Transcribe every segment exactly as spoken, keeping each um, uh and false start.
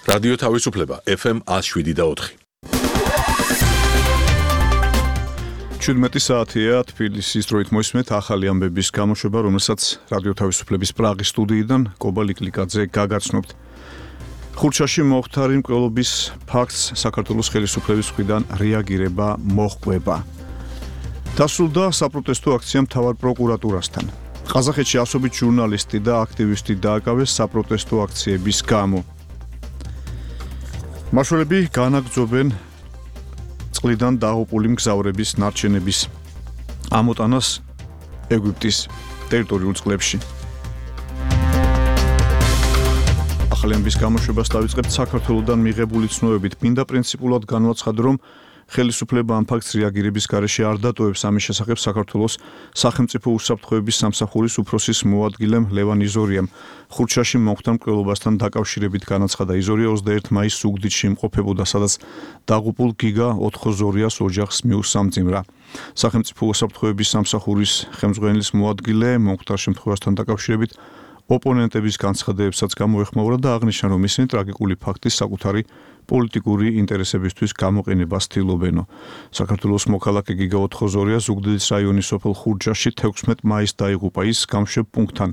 რადიო თავისუფლება ეფ ემ ათს შვიდი და ოთხი. შვიდმეტი საათია თბილისის დროით მოისმენთ ახალი ამბების გამოშვება, რომელსაც რადიო თავისუფლების პრაღის სტუდიიდან კობა ლიკლიკაძე გაგაცნობთ. ხურჩაში მოხდარი მკვლელობის ფაქტს საქართველოს ხელისუფლების მხრიდან რეაგირება მოჰყვება. დასრულდა საპროტესტო აქცია მთავარ პროკურატურასთან. ყაზახეთში ასობით ჟურნალისტი და აქტივისტი დააკავეს საპროტესტო აქციების გამო. მაშველები განაგრძობენ წყლიდან დაღუპული მგზავრების ნარჩენების ამოტანას ეგვიპტის ტერიტორიულ წყლებში. ახალი ამბების გამოშვებას დავიწყებთ საქართველოსდან მიღებული ცნობებით. მინდა პრინციპულად განვაცხადო, რომ ხელისუფლება ამ ფაქტს რეაგირების გარეშე არ დატოვებს. ამის შესახებ საქართველოს სახელმწიფო უსაფრთხოების სამსახურის უფროსის მოადგილემ ლევან იზორიამ ხურჩაში მოხდა მკვლელობასთან დაკავშირებით განაცხადა. იზორია ოცდაერთი მაისს ზუგდიდში იმყოფებოდა, სადაც დაღუპულ გიგა ოთხოზორიას ოჯახს მიუსამძიმრა. სახელმწიფო უსაფრთხოების სამსახურის ხელმძღვანელის მოადგილე მომხდარ შემთხვევასთან დაკავშირებით ოპონენტების განცხადებებსაც გამოეხმაურა და აღნიშნა, რომ ისინი ტრაგიკული ფაქტის საკუთარი პოლიტიკური ინტერესებისთვის გამოყენებას ცდილობენო. საქართველოს მოქალაქე გიგა ოთხოზორია ზუგდიდის რაიონის სოფელ ხურჯაში თექვსმეტი მაისს დაიღუპა. ის გამშვებ პუნქტთან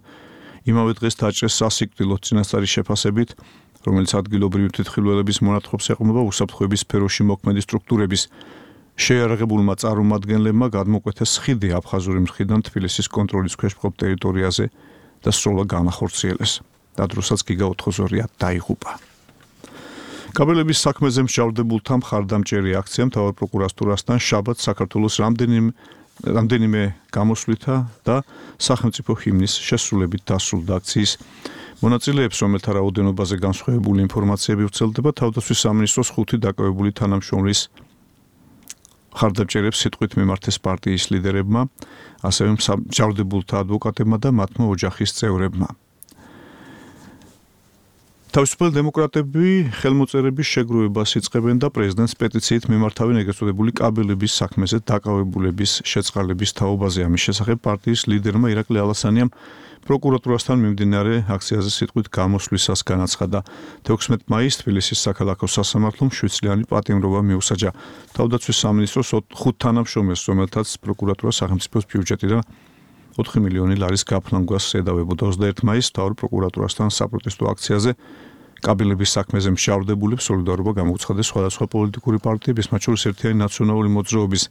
იმავე დღეს დაჭრეს სასიკვდილო წინასწარი შეფასებით, რომელიც ადგილობრივი თვითმხილველების მონათხრობს ეყრდნობა უსაფრთხოების სფეროში მოქმედი სტრუქტურების შეიარაღებულმა წარმომადგენლებმა გადმოკვეთეს ხიდი აფხაზური მხრიდან თბილისის კონტროლის ქვეშ მყოფ ტერიტორიაზე და სროლა განახორციელეს. დადროსაც გიგა ოთხოზორია დაიღუპა. კაბელების საქმეზე მსჯავრდებულთა მხარდამჭერი აქცია მთავარ პროკურატურასთან შაბათს საქართველოს რამდენიმე რამდენიმე გამოსვლითა და სახელმწიფო ჰიმნის შესრულებით დასრულდა. აქციის მონაწილეებს, რომელთა რაოდენობაზე განსხვავებული ინფორმაციები ვრცელდება, თავდაცვის სამინისტროს ხუთი დაკავებული თანამშრომლის მხარდამჭერებს სიტყვით მიმართეს პარტიის ლიდერებმა, ასევე მსჯავრდებულთა ადვოკატებმა და მათმა ოჯახის წევრებმა. თავისუფალი დემოკრატები ხელმოწერების შეგროვებას იწყებენ და პრეზიდენტს პეტიციით მიმართავენ ეგრეთ წოდებული კაბელების საქმეზე დაკავებულების შეწყალების თაობაზე. ამის შესახებ პარტიის ლიდერმა ირაკლი ალასანიამ პროკურატურასთან მიმდინარე აქციაზე სიტყვით გამოსვლისას განაცხადა. თექვსმეტი მაისს თბილისის საქალაქო სასამართლომ შვიდწლიანი პატიმრობა მიუსაჯა. თავდაცვის სამინისტროს ხუთ თანამშრომელს, რომელთაც პროკურატურა სახელმწიფოს ბიუჯეტიდან ოთხი მილიონი ლარის გაფლანგვას ედავებოდა. ოცდაერთი მაისს მთავარ პროკურატურასთან საპროტესტო აქციაზე კაბელების საქმეზე მსჯავრდებულებს სოლიდარობა გამოუცხადეს სხვადასხვა პოლიტიკური პარტიების, მათ შორის ერთიანი ნაციონალური მოძრაობის,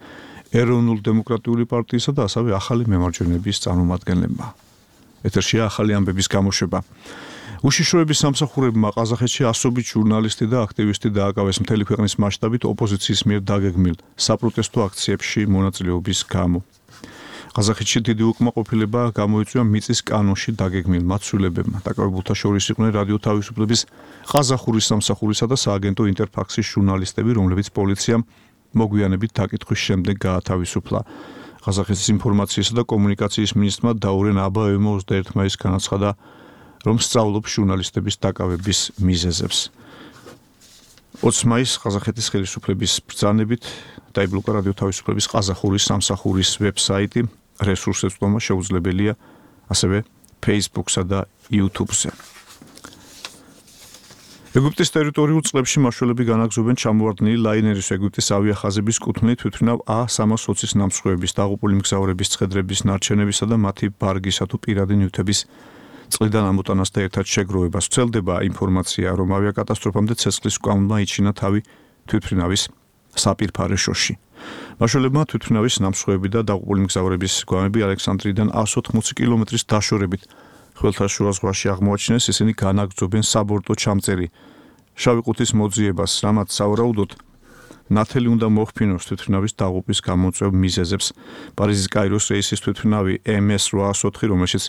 ეროვნულ-დემოკრატიული პარტიისა და ასევე ახალი მემარჯვენეების წარმომადგენლებმა. ეთერშია ახალი ამბების გამოშვება. უშიშროების სამსახურებმა ყაზახეთში ასობით ჟურნალისტი და აქტივისტი დააკავეს მთელი ქვეყნის მასშტაბით ოპოზიციის მიერ დაგეგმილ საპროტესტო აქციებში მონაწილეობის გამო. ყაზახეთში დიდი უკმაყოფილება გამოიწვია მიწის კანონში დაგეგმილ მაცვლილებებმა. დაკავებულთა შორის იყვნენ რადიო თავისუფლების ყაზახურის სამსახურისა და სააგენტო ინტერფაქსის ჟურნალისტები, რომლებიც პოლიციამ მოგვიანებით დაკითხვის შემდეგ გაათავისუფლა. ყაზახეთის ინფორმაციისა და კომუნიკაციის მინისტრმა დაურენ აბაევმა ოცდაერთი მაისს განაცხადა, რომ სწავლობს ჟურნალისტების დაკავების მიზეზებს. ოცი მაისს ყაზახეთის ხელისუფლების ბრძანებით დაიბლოკა რადიო თავისუფლების ყაზახურის სამსახურის ვებსაიტი. რესურსებს წვდომა შეუძლებელია ასევე Facebook-სა და YouTube-ზე. ეგვიპტის ტერიტორიულ წყლებში მაშველები განაგრძობენ ჩამოვარდნილი ლაინერის ეგვიპტის ავიახაზების კუთვნილ თვითმფრინავ ა სამას ოცის ნამსხვრევების, დაღუპული მგზავრების ცხედრების, ნარჩენებისა და მათი ბარგისა თუ პირადი ნივთების წყლიდან ამოტანას და ერთად შეგროვებას. ვრცელდება ინფორმაცია, რომ ავიაკატასტროფამდე ცეცხლის მკლავმა იჩინა თავი თვითმფრინავის საპირფარეშოში. მაშველებმა თვითმფრინავის ნამსხვრევები და დაღუპული მგზავრების გვამები ალექსანდრიიდან ას ოთხმოცი კილომეტრის დაშორებით ხმელთაშუა ზღვაში აღმოაჩინეს. ისინი განაგრძობენ საბორტო ჩამწერი შავი ყუთის მოძიებას, რამაც სავარაუდოდ ნათელი უნდა მოხფინოს თვითმფრინავის დაღუპვის გამოწვევ მიზეზებს. პარიზის კაიროს რეისის თვითმფრინავი ემ ეს რვა ას ოთხი, რომელშიც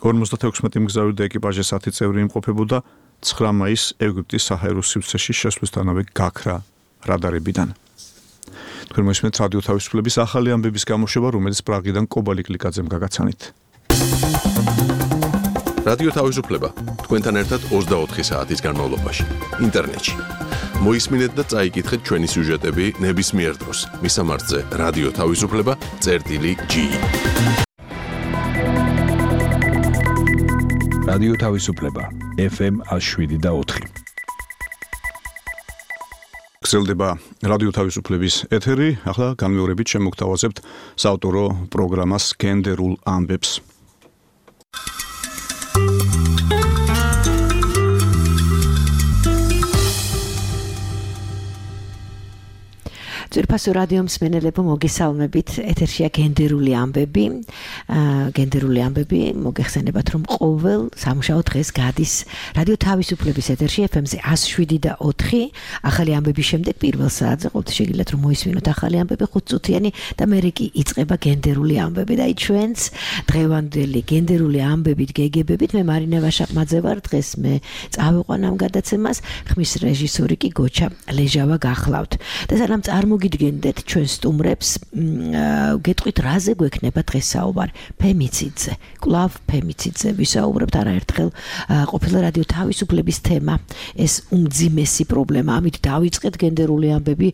ორმოცდათექვსმეტი მგზავრი და ეკიპაჟის ათი წევრი იმყოფებოდა, ცხრა მაისს ეგვიპტის საჰაერო სივრცეში შესვლისთანავე გაქრა რადარებიდან. თქვენ მოისმენთ რადიო თავისუფლების ახალი ამბების გამოშვება, რომელიც პრაღიდან კობა ლიკლიკაძემ გაგაცანით. რადიო თავისუფლება თქვენთან ერთად ოცდაოთხი საათის განმავლობაში ინტერნეტში. მოისმინეთ და წაიკითხეთ ჩვენი სიუჟეტები ნებისმიერ დროს. მისამართზე რადიო თავისუფლება წერტილი ჯი. რადიო თავისუფლება ეფ ემ ათს შვიდი და ოთხი. გრძელდება რადიო თავისუფლების ეთერი, ახლა განმეორებით შემოგთავაზებთ საავტორო პროგრამას გენდერულ ამბებს. ძვირფასო რადიო მსმენელებო, მოგესალმებით. ეთერშია გენდერული ამბები. გენდერული ამბები მოგეხსენებათ, რომ ყოველ სამუშაო დღეს გადის რადიო თავისუფლების ეთერში ეფ ემ-ზე εκατს შვიდი და ოთხი. ახალი ამბების შემდეგ პირველ საათზე ყოველთვის შეგიძლიათ რომ მოისმინოთ ახალი ამბები ხუთწუთიანი და მერე კი იწყება გენდერული ამბები და აი ჩვენს დღევანდელი გენდერული ამბებით გეგებებით მე მარინა ვაშაყმაძე ვარ. დღეს მე წავიყვან ამ გადაცემას, ხმის რეჟისორი კი გოჩა ლეჟავა გახლავთ. და სანამ წარმოგიდგენდეთ ჩვენ სტუმრებს, გეტყვით რაზე გვექნება დღეს საუბარი? ფემიციდზე, კვლავ ფემიციდზე ვისაუბრებთ. არაერთხელ ყოფილა რადიო თავისუფლების თემა, ეს უმძიმესი პრობლემა. ამით დავიწყეთ გენდერული ამბები,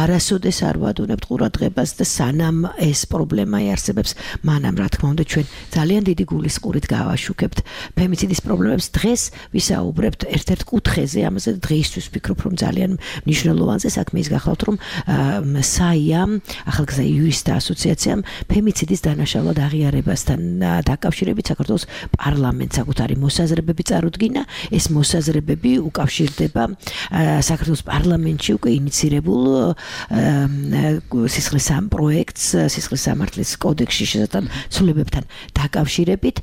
არასოდეს არ ვადუნებთ ყურადღებას და სანამ ეს პრობლემა იარსებებს, მანამ რა თქმა უნდა ჩვენ ძალიან დიდი გულისყურით გავაშუქებთ ფემიციდის პრობლემებს. დღეს ვისაუბრებთ ერთ-ერთ კუთხეზე, ამაზე დღეისთვის ვფიქრობ რომ ძალიან მნიშვნელოვანზე საქმე ის გახლავთ, რომ საიამ, ახალგაზრდა იურისტთა ასოციაციამ ფემიციდის დანაშაულად აღიარებასთან დაკავშირებით საქართველოს პარლამენტს საკუთარი მოსაზრებები წარუდგინა. ეს მოსაზრებები უკავშირდება საქართველოს პარლამენტში უკვე ინიცირებულ სისხლის სამ პროექტს, სისხლის სამართლის კოდექსში შესაძლოა ცვლილებებთან დაკავშირებით,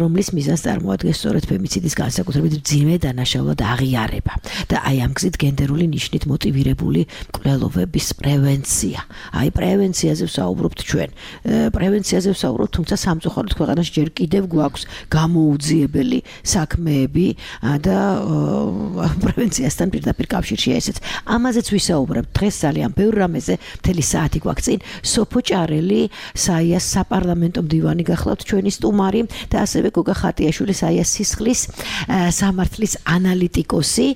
რომლის მიზანს წარმოადგენს სწორედ ფემიციდის განსაკუთრებით მძიმე დანაშაულად აღიარება და აი ამ გზით გენდერული ნიშნით მოტივირებული მკვლელობების პრევენცია. აი პრევენციაზე ვსაუბრობთ ჩვენ. პრევენციაზე ვსაუბრობთ, თუმცა სამწუხაროდ ქვეყანაში ჯერ კიდევ გვაქვს გამოუძიებელი საქმეები და პრევენციასთან პირდაპირ კავშირშია ესეც. ამაზეც ვისაუბრებთ დღეს ძალიან ბევრ რამეზე, მთელი საათი გვაქვს წინ. სოფო ჭარელი, საიას საპარლამენტო მდივანი გახლავთ ჩვენი სტუმარი და ასევე გოგა ხატიაშვილი, საიას სისხლის სამართლის ანალიტიკოსი.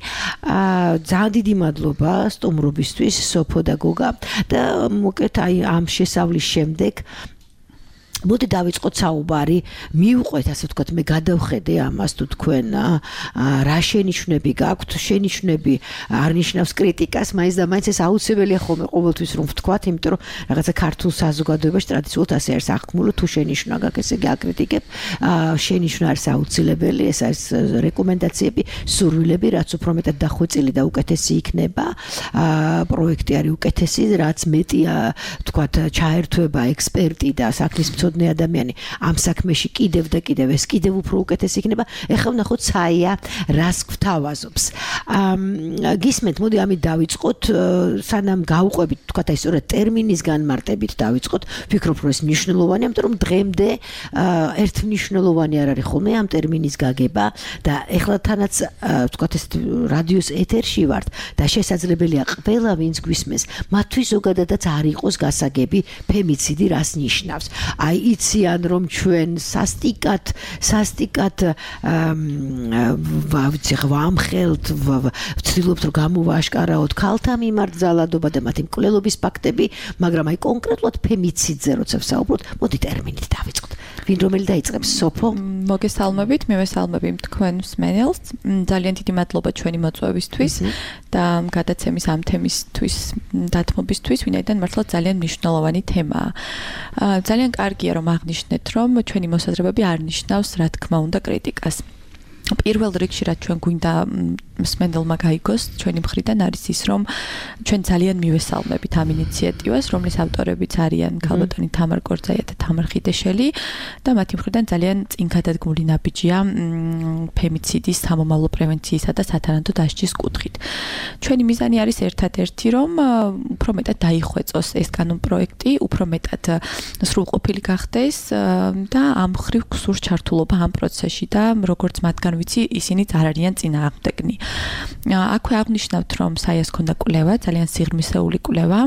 ძალიან დიდი მადლობა სტუმრობისთვის სოფო და გოგა და მოკეთ აი ამ შესავლის შემდეგ მოდი დავიწყოთ საუბარი, მივყვეთ ასე ვთქვათ, მე გადავხედე ამას თუ თქვენ რა შენიშვნები გაქვთ, შენიშვნები არ ნიშნავს კრიტიკას, მაინც და მაინც ეს აუცილებელია ხოლმე ყოველთვის რომ ვთქვათ, იმიტომ რომ რაღაცა ქართულ საზოგადოებაში ტრადიციულად ასე არის აღქმული, თუ შენიშვნა გაქვს, ესე იგი აკრიტიკებ, შენიშვნა არის აუცილებელი, ეს არის რეკომენდაციები, სურვილები, რაც უფრო მეტად დახვეწილი და უკეთესი იქნება, პროექტი არის უკეთესი, რაც მეტია, ვთქვათ, ჩაერთვება ექსპერტი და საქმის ადამიანი ამ საქმეში კიდევ და კიდევ ეს კიდევ უფრო უკეთესი იქნება. ეხლა ვნახოთ საია რას გვთავაზობს. გისმენთ, მოდი ამით დავიწყოთ, სანამ გავუყვებით, თქვათ აი სწორედ ტერმინის განმარტებით დავიწყოთ. ვფიქრობ, რომ ეს მნიშვნელოვანია, იმიტომ რომ დღემდე ერთ მნიშვნელოვანი არ არის ხოლმე ამ ტერმინის გაგება და ეხლა თანაც თქვათ ეს რადიოს ეთერში ვართ და შესაძლებელია ყველა ვინც გვისმენს, მათთვის ზოგადადაც არ იყოს გასაგები ფემიციდი რას ნიშნავს. აი იციან რომ ჩვენ სასტიკად სასტიკად ვიცი ვამხელთ, ვცდილობთ რომ გამოვაშკარაოთ ქალთა მიმართ ძალადობა და მათი მკვლელობის ფაქტები, მაგრამ აი კონკრეტულად ფემიციდზე როცა ვსაუბრობთ, მოდი ტერმინით დავიწყოთ. ვინ რომელი დაიწყებს? სოფო? მოგესალმებით, მივესალმები თქვენ მსმენელს. ძალიან დიდი მადლობა ჩვენი მოწვევისთვის და გადაცემის ამ თემისთვის დათმობისთვის, ვინაიდან მართლა ძალიან მნიშვნელოვანი თემაა. ძალიან კარგია რომ აღნიშნეთ, რომ ჩვენი მოსაზრებები არ ნიშნავს, რა თქმა უნდა, კრიტიკას. პირველ რიგში რაც ჩვენ გვინდა მსმენელმა გაიგოს ჩვენი მხრიდან არის ის, რომ ჩვენ ძალიან მივესალმებით ამ ინიციატივას, რომლის ავტორებიც არიან ქალბატონი თამარ კორძაია და თამარ ხიდეშელი და მათი მხრიდან ძალიან წინგადადგმული ნაბიჯია ფემიციდის სამომავლო პრევენციისა და სათანადო დასჯის კუთხით. ჩვენი მიზანი არის ერთადერთი, რომ უფრო მეტად დაიხვეწოს ეს კანონპროექტი, უფრო მეტად სრულყოფილი გახდეს და ამ მხრივ გსურს ჩართულობა ამ პროცესში და როგორც მათგან ვიცი, ისინიც არ არიან წინააღმდეგნი. აქვე აღნიშნავთ, რომ საიას ქონდა კვლევა, ძალიან სიღრმისეული კვლევა,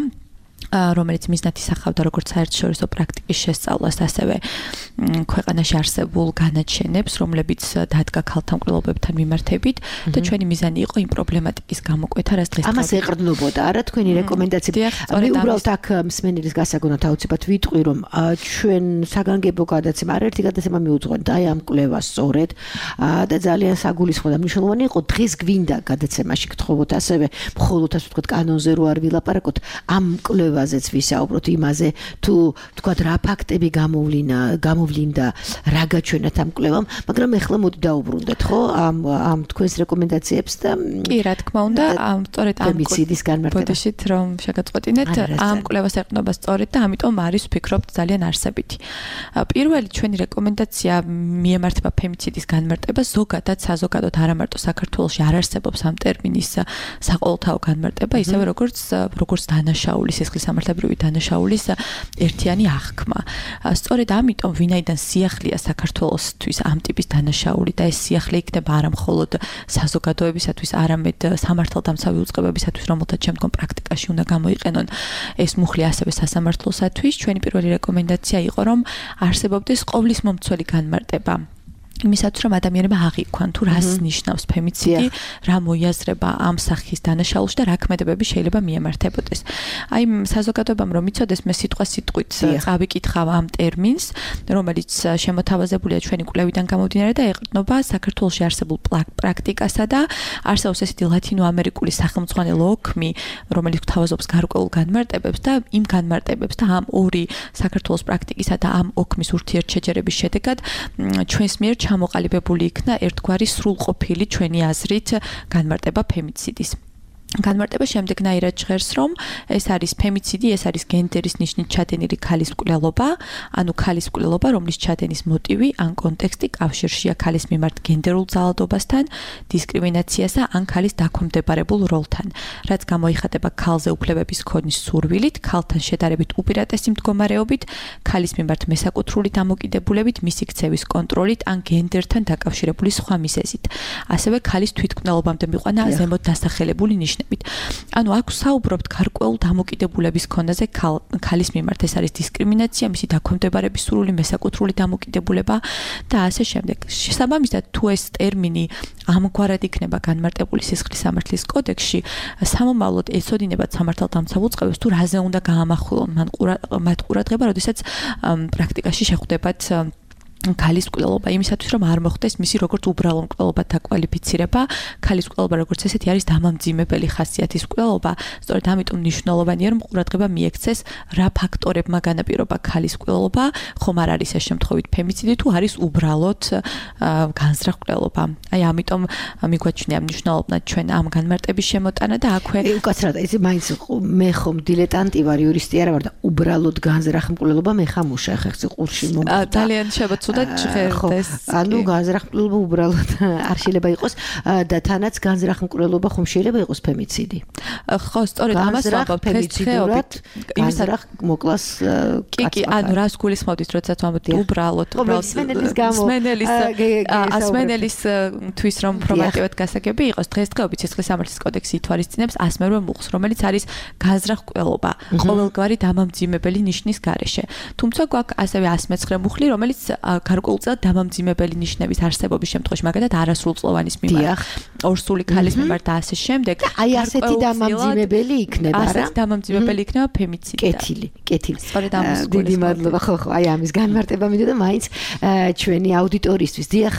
რომელიც მიზნად ისახავდა როგორც საერთაშორისო პრაქტიკის შესწავლას, ასევე ქვეყანაში არსებულ განაჩენებს, რომლებიც დადგა ქალთა მკვლელობებთან მიმართებით და ჩვენი მიზანი იყო იმ პრობლემატიკის გამოკვეთა, რაც დღეს ამას ეყრდნობოდა არა თქვენი რეკომენდაციები. მე უბრალოდ აქ მსმენელის გასაგონად აუცილებლად ვიტყვი, რომ ჩვენ საგანგებო გადაცემა, არაერთი გადაცემა მიუძღვენთ აი ამ კვლევას სწორედ და ძალიან საგულისხმო და მნიშვნელოვანი იყო დღეს გვინდა გადაცემაში გთხოვოთ ასევე მხოლოდ ასე ვთქვათ კანონზე რო არ ვილაპარაკოთ ამ კვლევაზეც ვისაუბროთ იმაზე თუ ვთქვათ რა ფაქტები გამოვლინდა გამოვლინდა რა გაჩვენათ ამ კვლევამ, მაგრამ ეხლა მოდი დაუბრუნდეთ ხო ამ ამ თქვენს რეკომენდაციებს და კი რა თქმა უნდა ამ სწორედ ამ ფემიციდის განმარტება ბოდიშით რომ შეგაწყვეტინეთ ამ კვლევას ეყრდნობა სწორედ და ამიტომ არის ვფიქრობთ ძალიან არსებითი. პირველი ჩვენი რეკომენდაცია მიემართება ფემიციდის განმარტებას, ზოგადად საზოგადოდ არა მარტო საქართველოში არ არსებობს ამ ტერმინის საყოველთაო განმარტება, ისევე როგორც როგორც დანაშაულის სისხლის სამართლებრივი დანაშაულის ერთიანი აღქმა. სწორედ ამიტომ ვინაიდან სიახლეა საქართველოსთვის ამ ტიპის დანაშაული და ეს სიახლე იქნება არა მხოლოდ საზოგადოებისათვის, არამედ სამართალდამცავი უწყებებისათვის, რომელთაც შემდგომ პრაქტიკაში უნდა გამოიყენონ ეს მუხლი ასევე სასამართლოსათვის, ჩვენი პირველი რეკომენდაცია იყო, რომ არსებობდეს ყოვლის მომცველი განმარტება. იმისათვის რომ ადამიანებმა აღიქვან თუ რას ნიშნავს ფემიციდი, რა მოიაზრება ამ სახის დანაშაულში და რა ქმედებები შეიძლება მიემართებოდეს. აი საზოგადოებამ რომ იცოდეს, მე სიტყვა სიტყვით წავიკითხავ ამ ტერმინს, რომელიც შემოთავაზებულია ჩვენი კვლევიდან გამომდინარე და ეყრდნობა საქართველოში არსებულ პრაქტიკასა და არსებობს ესეთი ლათინოამერიკული სახელმძღვანელო ოქმი, რომელიც გვთავაზობს გარკვეულ განმარტებებს და იმ განმარტებებს და ამ ორი საქართველოს პრაქტიკისა და ამ ოქმის ურთიერთშეჯერების შედეგად ჩვენს მიერ ჩამოყალიბებული იქნა ერთგვარი სრულყოფილი ჩვენი აზრით განმარტება ფემიციდის. განმარტება შემდეგნაირად ჟღერს, რომ ეს არის ფემიციდი, ეს არის გენდერის ნიშნით ჩადენილი ქალის მკვლელობა, ანუ ქალის მკვლელობა, რომლის ჩადენის მოტივი ან კონტექსტი კავშირშია ქალის მიმართ გენდერულ ძალადობასთან, დისკრიმინაციასა ან ქალის დაქვემდებარებულ როლთან, რაც გამოიხატება ქალზე უფლებების ქონის სურვილით, ქალთან შედარებით უპირატესი მდგომარეობით, ქალის მიმართ მესაკუთრული დამოკიდებულებით, მისი ქცევის კონტროლით ან გენდერთან დაკავშირებული სხვა მიზეზით. ასევე ქალის თვითმკვლელობამდე მიყვანა ზემოთ დასახელებული ნიშნები. ანუ აქ საუბრობთ გარკვეულ დამოკიდებულების ქონაზე ქალის მიმართ, ეს არის დისკრიმინაცია, მისი დაქვემდებარების სურვილი, მესაკუთრული დამოკიდებულება და ასე შემდეგ. შესაბამისად, თუ ეს ტერმინი ამგვარად იქნება განმარტებული სისხლის სამართლის კოდექსში, სამომავლოდ ეცოდინებათ სამართალდამცავ უწყებებს თუ რაზე უნდა გაამახვილონ მათ ყურადღება, როდესაც პრაქტიკაში შეხვდებათ ქალის მკვლელობა, იმისათვის რომ არ მოხდეს მისი როგორც უბრალო მკვლელობად დაკვალიფიცირება, ქალის მკვლელობა როგორც ესეთი არის დამამძიმებელი ხასიათის მკვლელობა, სწორედ ამიტომ მნიშვნელოვანია რომ ყურადღება მიექცეს რა ფაქტორებმა განაპირობა ქალის მკვლელობა, ხომ არ არის ეს შემთხვევით ფემიციდი თუ არის უბრალოდ განზრახ მკვლელობა. აი ამიტომ მიგვაჩნია მნიშვნელოვნად ჩვენ ამ განმარტების შემოტანა და აქვე უკაცრად ეს მაინც მე ხომ დილეტანტი ვარ, იურისტი არა ვარ და უბრალოდ განზრახ მკვლელობა მე ხამუშა ხეხზე ყურში მომხდა. ძალიან შევაცვლა ჟღერდეს. ანუ განზრახ მკვლელობა უბრალოდ არ შეიძლება იყოს და თანაც განზრახ მკვლელობა ხომ შეიძლება იყოს ფემიციდი. ხო, სწორედ ამას ვამბობ ფემიციდურად. განზრახ მოკლას კი, კი, ანუ რას გულისხმობთ, როდესაც ვამბობთ უბრალოდ, უბრალოდ სმენელის გამო სმენელის ასმენელის თვის რომ პრობლემატიურად გასაგები იყოს, დღესდღეობით სისხლის სამართლის კოდექსი ითვალისწინებს ასმერვე მუხლს, რომელიც არის განზრახ მკვლელობა, ყოველგვარი დამამძიმებელი ნიშნის გარეშე. თუმცა გვაქვს ასევე ასმეცხრე მუხლი, რომელიც გარკვეულწილად დამამძიმებელი ნიშნების არსებობის შემთხვევაში, მაგალითად არასრულწლოვანის მიმართ, ორსული ქალის მიმართ და ასე შემდეგ. აი ასეთი დამამძიმებელი იქნება რა? ასეთი დამამძიმებელი იქნება ფემიციდი. კეთილი, კეთილი. სწორედ ამას დიდი მადლობა. ხო, ხო, აი ამის განმარტება მინდა და მაინც ჩვენი აუდიტორისთვის. დიახ,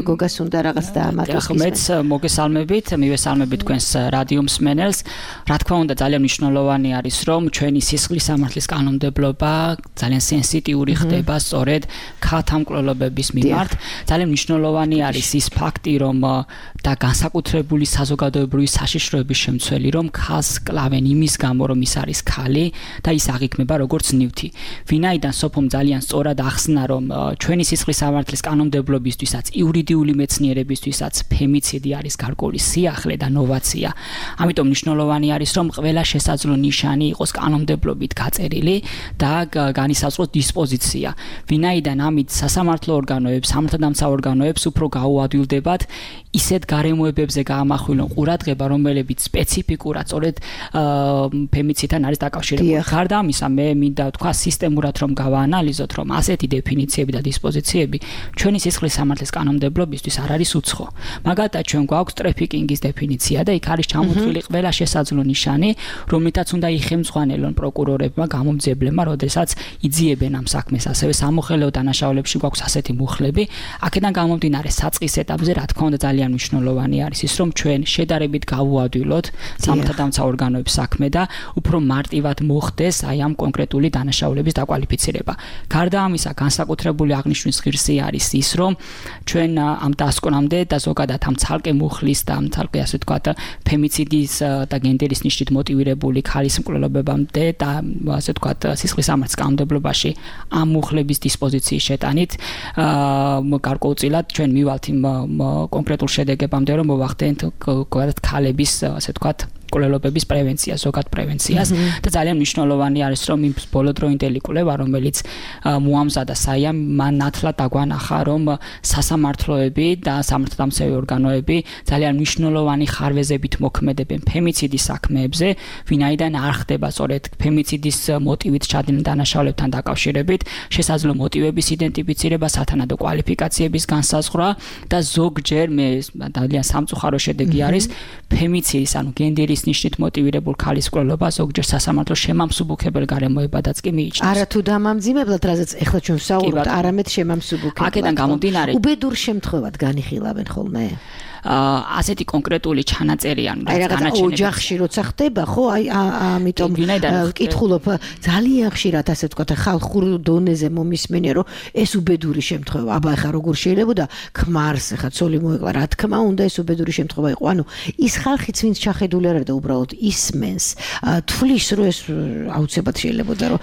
გოგას უნდა რაღაც დაამატოს. ხო, მეც მოგესალმებით, მივესალმებით თქვენს რადიო მსმენელს. რა თქმა უნდა, ძალიან მნიშვნელოვანი არის, რომ ჩვენი სისხლის სამართლის კანონმდებლობა ძალიან სენსიტიური ხდება სწორედ ქალთა მკვლელობების მიმართ. ძალიან მნიშვნელოვანი არის ის ფაქტი, რომ და განსაკუთრებული საზოგადოებრივი საშიშროების შემცველი, რომ ქალს კლავენ იმის გამო, რომ ის არის ქალი და ის აღიქმება როგორც ნივთი. ვინაიდან სოფომ ძალიან სწორად ახსნა, რომ ჩვენი სისხლის სამართლის კანონმდებლობისთვისაც, იურიდიული მეცნიერებისთვისაც ფემიციდი არის გარკვეული სიახლე და ნოვაცია. ამიტომ მნიშვნელოვანი არის, რომ ყველა შესაძლო ნიშანი იყოს კანონმდებლობით გაწერილი და განისაზღვროს დისპოზიცია. ვინაიდან ამით სასამართლო ორგანოებს, სამართალდამცავ ორგანოებს უფრო გაუადვილდებათ ისეთ გარემოებებზე გაამახვილონ ყურადღება, რომლებიც სპეციფიკურად სწორედ ფემიციდთან არის დაკავშირებული. გარდა ამისა, მე მინდა ვთქვა სისტემურად რომ გავაანალიზოთ, რომ ასეთი დეფინიციები და დისპოზიციები ჩვენი სისხლის სამართლის კანონმდებლობისთვის არ არის უცხო. მაგალითად, ჩვენ გვაქვს ტრაფიკინგის დეფინიცია და იქ არის ჩამოთვლილი ყველა შესაძლო ნიშანი, რომლითაც უნდა იხელმძღვანელონ პროკურორებმა, გამომძიებლებმა, როდესაც იძიებენ ამ საქმეს. ასევე სამოხელეო დანაშაულებში გვაქვს ასეთი მუხლები. აქედან გამომდინარე საწყის ეტაპზე, რა თქმა უნდა, ძალიან მნიშვნელოვანი არის ის, რომ ჩვენ შედარებით გავუადვილოთ სამართალდამცავ ორგანოების საქმე და უფრო მარტივად მოხდეს აი ამ კონკრეტული დანაშაულების დაკვალიფიცირება. გარდა ამისა, განსაკუთრებული აღნიშვნის ღირსი არის ის, რომ ჩვენ ამ დასკვნამდე და ზოგადად ამ ცალკე მუხლის და ამ ცალკე ასე ვთქვათ ფემიციდის და გენდერის ნიშნით მოტივირებული ქალის მკვლელობებამდე და ასე ვთქვათ სისხლის სამართლის კანონმდებლობაში ამ მუხლების დისპოზიციის შეტანით გარკვეულწილად ჩვენ მივალთ იმ კონკრეტულ შედეგებამდე, რომ მოვახდენთ ქალების ასე ვთქვათ კვლელობების პრევენცია, ზოგად პრევენციას და ძალიან მნიშვნელოვანი არის, რომ იმ ბოლოდროინდელი კვლევა, რომელიც მოამზადა საიამ, მან ნათლად დაგვანახა, რომ სასამართლოები და სამართალდამცავი ორგანოები ძალიან მნიშვნელოვანი ხარვეზებით მოქმედებენ ფემიციდის საქმეებზე, ვინაიდან არ ხდება სწორედ ფემიციდის მოტივით ჩადენილ დანაშაულებთან დაკავშირებით შესაძლო მოტივების იდენტიფიცირება, სათანადო კვალიფიკაციების განსაზღვრა და ზოგჯერ მე ძალიან სამწუხარო შედეგი არის ფემიციდის, ანუ გენდერის ნიშნით მოტივირებულ ქალის კვლელობა ზოგჯერ სასამართლო შემამსუბუქებელ გარემოებადაც კი მიიჩნევს. არა თუ დამამძიმებლად, რაზეც ახლა ჩვენ ვსაუბრობთ, არამედ შემამსუბუქებლად. აქედან გამომდინარე, უბედურ შემთხვევად განიხილავენ ხოლმე? ასეთი კონკრეტული ჩანაწერი ანუ განაჩენები ოჯახში როცა ხდება, ხო, აი ამიტომ ვკითხულობ ძალიან ხშირად ასე ვთქვათ ხალხურ დონეზე მომისმენია, რომ ეს უბედური შემთხვევა. აბა ხა როგორ შეიძლება და ქმარს ხა ცოლი მოეკლა, რა თქმა უნდა ეს უბედური შემთხვევა იყო. ანუ ის ხალხიც ვინც ჩახედული არ არის და უბრალოდ ისმენს, თვლის რომ ეს აუცილებლად შეიძლება და რომ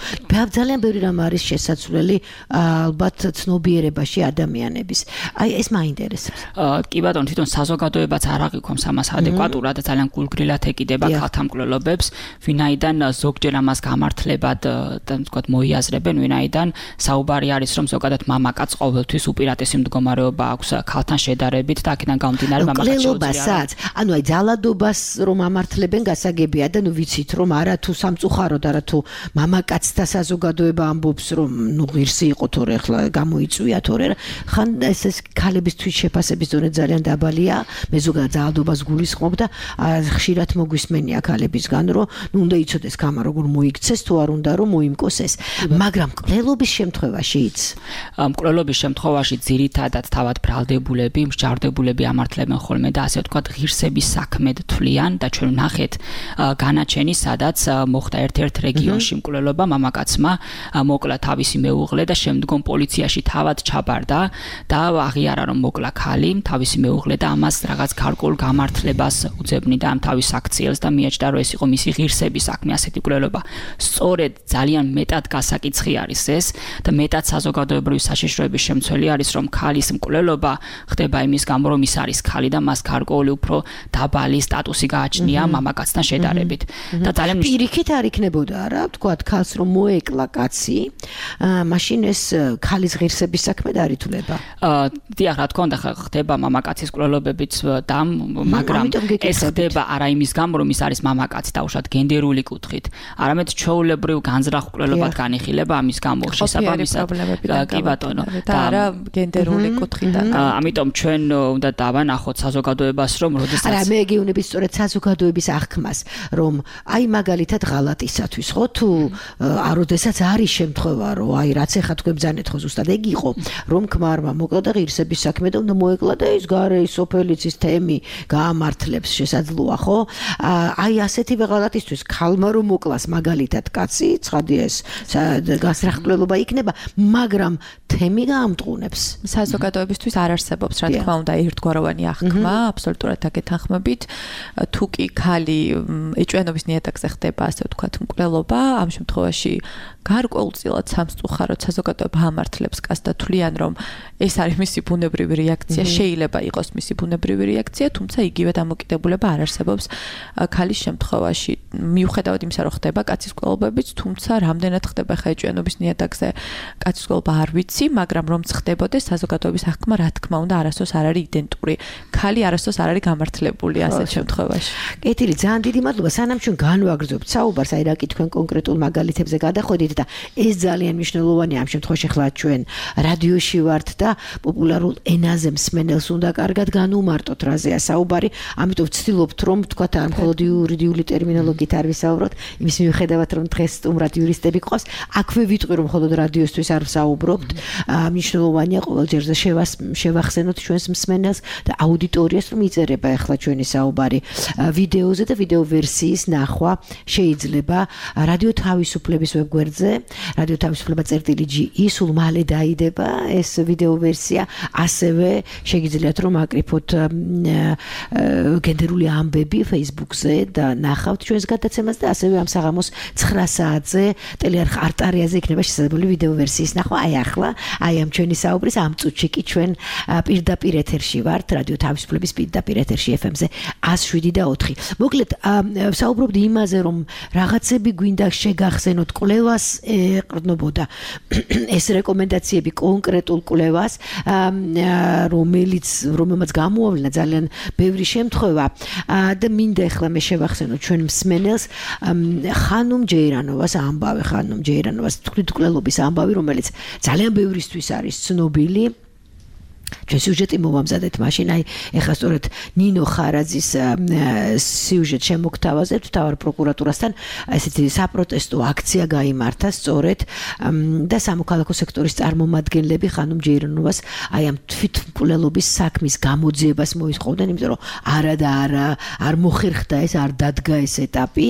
ძალიან ბევრი რამ არის შესაძლებელი ალბათ ცნობიერებაში ადამიანების. აი ეს მაინტერესებს. კი ბატონო, თვითონ საზოგადოებაც არ აღიქვამს ამას ადეკვატურად და ძალიან გულგრილად ეკიდება ქალთა მკვლელობებს, ვინაიდან ზოგჯერ ამას გამართლებად და ვთქვათ მოიაზრებენ, ვინაიდან საუბარი არის, რომ ზოგადად მამაკაც ყოველთვის უპირატესი მდგომარეობა აქვს ქალთან შედარებით და აქედან გამომდინარე მამაკაც მკვლელობასაც, ანუ აი ძალადობას რომ ამართლებენ გასაგებია და ნუ ვიცით რომ არა თუ სამწუხაროდ არა თუ მამაკაცთა საზოგადოება ამბობს რომ ნუ ღირსი იყო თორე ახლა გამოიწვია თორე ხან ეს ქალების თვითშეფასების დონე ძალიან დაბალია. მე ზოგადად ძალადობას გულისხმობ და ხშირად მოგვისმენია ქალებისგან, რომ ნუ უნდა იცოდეს ქამა როგორ მოიქცეს თუ არ უნდა რომ მოიმკოს ეს. მაგრამ მკვლელობის შემთხვევაშიც მკვლელობის შემთხვევაში ძირითადად თავად ბრალდებულები, მსჯავრდებულები ამართლებენ ხოლმე და ასე ვთქვათ ღირსების საქმედ თვლიან და ჩვენ ვნახეთ განაჩენი, სადაც მოხდა ერთ-ერთ რეგიონში მკვლელობა, მამაკაცმა მოკლა თავისი მეუღლე და შემდგომ პოლიციაში თავად ჩაბარდა და აღიარა რომ მოკლა ქალი, თავისი მეუღლე და ამას რაღაც გარკვეულ გამართლებას უძებნიდა ამ თავის აქციელს და მიაჩნდა რომ ეს იყო მისი ღირსების საქმე ასეთი მკვლელობა. სწორედ ძალიან მეტად გასაკიცხი არის ეს და მეტად საზოგადოებრივი საშიშროების შემცველი არის რომ ქალის მკვლელობა ხდება იმის გამო რომ ის არის ქალი და მას გარკვეული უფრო დაბალი სტატუსი გააჩნია მამაკაცთან შედარებით. და ძალიან პირიქით არ იქნებოდა რა, ვთქვათ ქალს რომ მოეკლა კაცი, მაშინ ეს ქალის ღირსების საქმე და არ ითვლება. დიახ, რა თქმა უნდა ხდება მამაკაცის მკვლელობებიც და მაგრამ ეს ხდება არა იმის გამო რომ ის არის მამაკაცი დაუშვათ გენდერული კუთხით, არამედ ჩვეულებრივ განზრახ მკვლელობად განიხილება ამის გამო შესაბამისად. კი ბატონო, და არა გენდერული კუთხიდან. ამიტომ ჩვენ უნდა დავანახოთ საზოგადოებას რომ როდესაც არა მე გეუბნები სწორედ საზოგადოების აღქმას რომ აი მაგალითად ღალატისათვის ხო თუ როდესაც არის შემთხვევა რომ აი რაც ეხა თქვენ ბძანეთ ხო ზუსტად ეგ იყო რომ ქმარმა მოკლა და ღირსების საქმე და უნდა მოეკლა და ის გარე ის სოფელიცის თემი გაამართლებს შესაძლოა ხო აი ასეთივე ღალატისთვის ქალმა რომ მოკლას მაგალითად კაცი ცხადია ეს გასრახმლელობა იქნება მაგრამ თემი გაამტყუნებს საზოგადოებისთვის არ არსებობს რა თქმა უნდა ერთგვაროვანი აღქმა აბსოლუტურად აკეთახმებით თუ კი ქალი ეჭვიანობის ნიადაგზე ხდება ასე ვთქვათ მკვლელობა ამ შემთხვევაში გარკვეულწილად სამწუხაროდ საზოგადოება ამართლებს კაცს და თვლიან, რომ ეს არის მისი ბუნებრივი რეაქცია, შეიძლება იყოს მისი ბუნებრივი რეაქცია, თუმცა იგივე დამოკიდებულება არ არსებობს ქალის შემთხვევაში. მიუხედავად იმისა, რომ ხდება კაცის კვლავებიც, თუმცა რამდენად ხდება ხაეჭვიანობის ნიადაგზე კაცის კვლავება არ ვიცი, მაგრამ რომ ხდებოდეს საზოგადოების აღქმა, რა თქმა უნდა, არასდროს არ არის იდენტური. ქალი არასდროს არ არის გამართლებული ასეთ შემთხვევაში. კეთილი, ძალიან დიდი მადლობა. სანამ ჩვენ განვაგრძობთ საუბარს, აი რა კი თქვენ კონკრეტულ მაგალითებზე გადახვედით და ეს ძალიან მნიშვნელოვანია ამ შემთხვევაში, ხლა ჩვენ რადიოში ვართ და პოპულარულ ენაზე მსმენელს უნდა კარგად განუმარტოთ რაზეა საუბარი, ამიტომ ვცდილობთ რომ თქვათ არ მხოლოდ იურიდიული ტერმინოლოგიით არ ვისაუბროთ, იმის მიუხედავად რომ დღეს სტუმრად იურისტები გყავს, აქვე ვიტყვი რომ მხოლოდ რადიოსთვის არ ვსაუბრობთ, მნიშვნელოვანია ყოველ ჯერზე შევახსენოთ ჩვენს მსმენელს და აუდიტორიას რომ იწერება ახლა ჩვენი საუბარი ვიდეოზე და ვიდეო ვერსიის ნახვა შეიძლება რადიო თავისუფლების ვებგვერდზე, რადიო თავისუფლება წერტილი ჯი ი, სულ მალე დაიდება ეს ვიდეო ვერსია, ასევე შეგიძლიათ რომ აკრიფოთ გენდერული ამბები Facebook-ზე და ნახავთ ჩვენს გადაცემას და ასევე ამ საღამოს ცხრა საათზე ტელეარხ არტარიაზე იქნება შესაძლებელი ვიდეო ვერსიის ნახვა. აი ახლა, აი ამ ჩვენი საუბრის ამ წუთში კი ჩვენ პირდაპირ ეთერში ვართ, რადიო თავისუფლების პირდაპირ ეთერში ეფ ემ-ზე one oh seven და four. მოკლედ საუბრობდი იმაზე, რომ რაღაცები გვინდა შეგახსენოთ კვლევას ეყრდნობოდა ეს რეკომენდაციები კონკრეტულ კვლევას, რომელიც რომელმაც გამოავლინა ძალიან ბევრი შემთხვევა და მინდა ახლა მე შევახსენოთ ჩვენ მსმენელს ხანუმ ჯეირანოვას ამბავი, ხანუმ ჯეირანოვას თვითმკვლელობის ამბავი, რომელიც ძალიან ბევრისთვის არის ცნობილი. ჩვენ სიუჟეტი მოვამზადეთ მაშინ, აი ეხლა სწორედ ნინო ხარაძის სიუჟეტ შემოგთავაზებთ თავარ პროკურატურასთან, ესეთი საპროტესტო აქცია გაიმართა სწორედ და სამოქალაქო სექტორის წარმომადგენლები ხანუმ ჯეირანოვას აი ამ თვითმკვლელობის საქმის გამოძიებას მოისყოდნენ, იმიტომ რომ არა და არა არ მოხერხდა ეს, არ დადგა ეს ეტაპი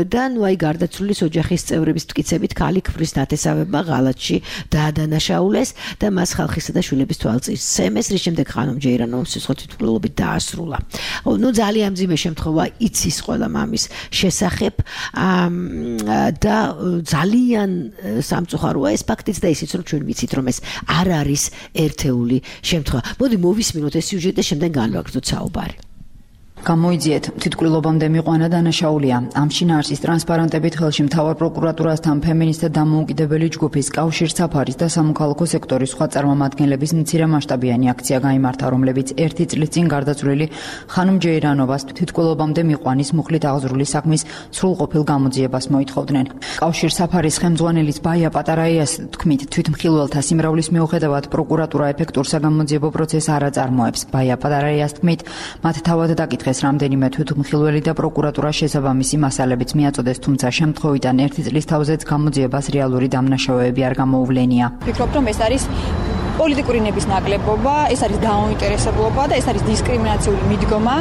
და ნუ აი გარდაცვლილის ოჯახის წევრების მტკიცებით ქალი ქმრის ნათესავებმა ღალატში დაადანაშაულეს და მას ხალხისა და შვილების თვალწინ სცემეს, რის შემდეგ ხანუმ ჯეირანოვას სისხლით თვითმკვლელობით დაასრულა. ნუ ძალიან მძიმე შემთხვევა იცის ყველა მამის შესახებ და ძალიან სამწუხაროა ეს ფაქტიც და ისიც რომ ჩვენ ვიცით რომ ეს არ არის ერთეული შემთხვევა. მოდი მოვისმინოთ ეს სიუჟეტი და შემდეგ განვაგრძოთ საუბარი. გამოიძიეთ, თვითმკვლელობამდე მიყვანა დანაშაულია. ამ შინაარსის ტრანსპარენტებით ხელში მთავარ პროკურატურასთან ფემინისტთა დამოუკიდებელი ჯგუფის კავშირ საფარის და სამოქალაქო სექტორის სხვა წარმომადგენლების მცირე მასშტაბიანი აქცია გაიმართა, რომლებიც ერთი წლის წინ გარდაცვლილი ხანუმ ჯეირანოვას თვითმკვლელობამდე მიყვანის მუხლით აღზრული საქმის სრულყოფილ გამოძიებას მოითხოვდნენ. კავშირ საფარის ხელმძღვანელის ბაია პატარაიას თქმით, თვითმხილველთა სიმრავლის მიუხედავად პროკურატურა ეფექტურ საგამოძიებო პროცესს არ აწარმოებს. ბაია პატარაიას თქმით, მათ თავად დაკითხეს რამდენიმე თვითმხილველი და პროკურატურა შესაბამისი მასალებიც მიაწოდეს, თუმცა შემთხვევიდან ერთი წლის თავზეც გამოძიებას რეალური დამნაშავეები არ გამოუვლენია. ვფიქრობ, რომ ეს არის პოლიტიკური ნების ნაკლებობა, ეს არის დაუნტერესებლობა და ეს არის დისკრიმინაციული მიდგომა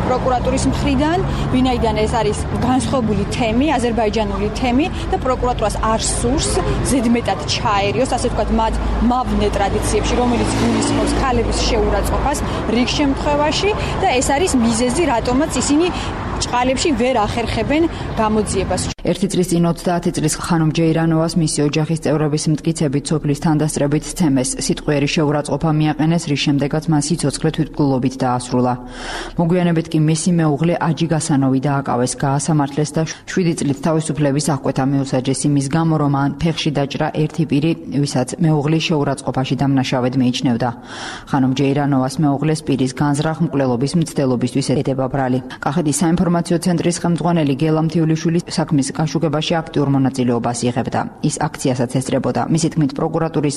პროკურატურის მხრიდან, ვინაიდან ეს არის განსხვავებული თემი, აზერბაიჯანული თემი და პროკურატურას არ სურს ზედმეტად ჩაერიოს, ასე ვთქვათ, მათ მავნე ტრადიციებში, რომელიც გულისხმობს ქალების შეურაცხყოფას რიგ შემთხვევაში და ეს არის მიზეზი, რატომაც ისინი ჭყალებში ვერ ახერხებენ გამოძიებას. ერთი წლის წინ ოცდაათი წლის ხანუმ ჯეირანოვას მისი ოჯახის წევრების მტკიცებით სოფლის თანდასწრებით სცემეს, სიტყვიერი შეურაცხყოფა მიაყენეს, რის შემდეგაც მას სიცოცხლე თვითმკვლელობით დაასრულა. მოგვიანებით კი მისი მეუღლე აჯი გასანოვი დააკავეს, გაასამართლეს და შვიდი წლით თავისუფლების აღკვეთა მიუსაჯეს იმის გამო, რომ მან ფეხში დაჭრა ერთი პირი, ვისაც მეუღლის შეურაცხყოფაში დამნაშავედ მიიჩნევდა. ხანუმ ჯეირანოვას მეუღლეს პირის განზრახ მკვლელობის მცდელობისთვის ედება ბრალი. კახეთის საინფორმაციო ცენტრის ხელმძღვანელი გელა მთიულიშვილი საქმის გაშუქებაში აქტიურ მონაწილეობას იღებდა. ის აქციასაც ესწრებოდა. მისი თქმით, პროკურატურის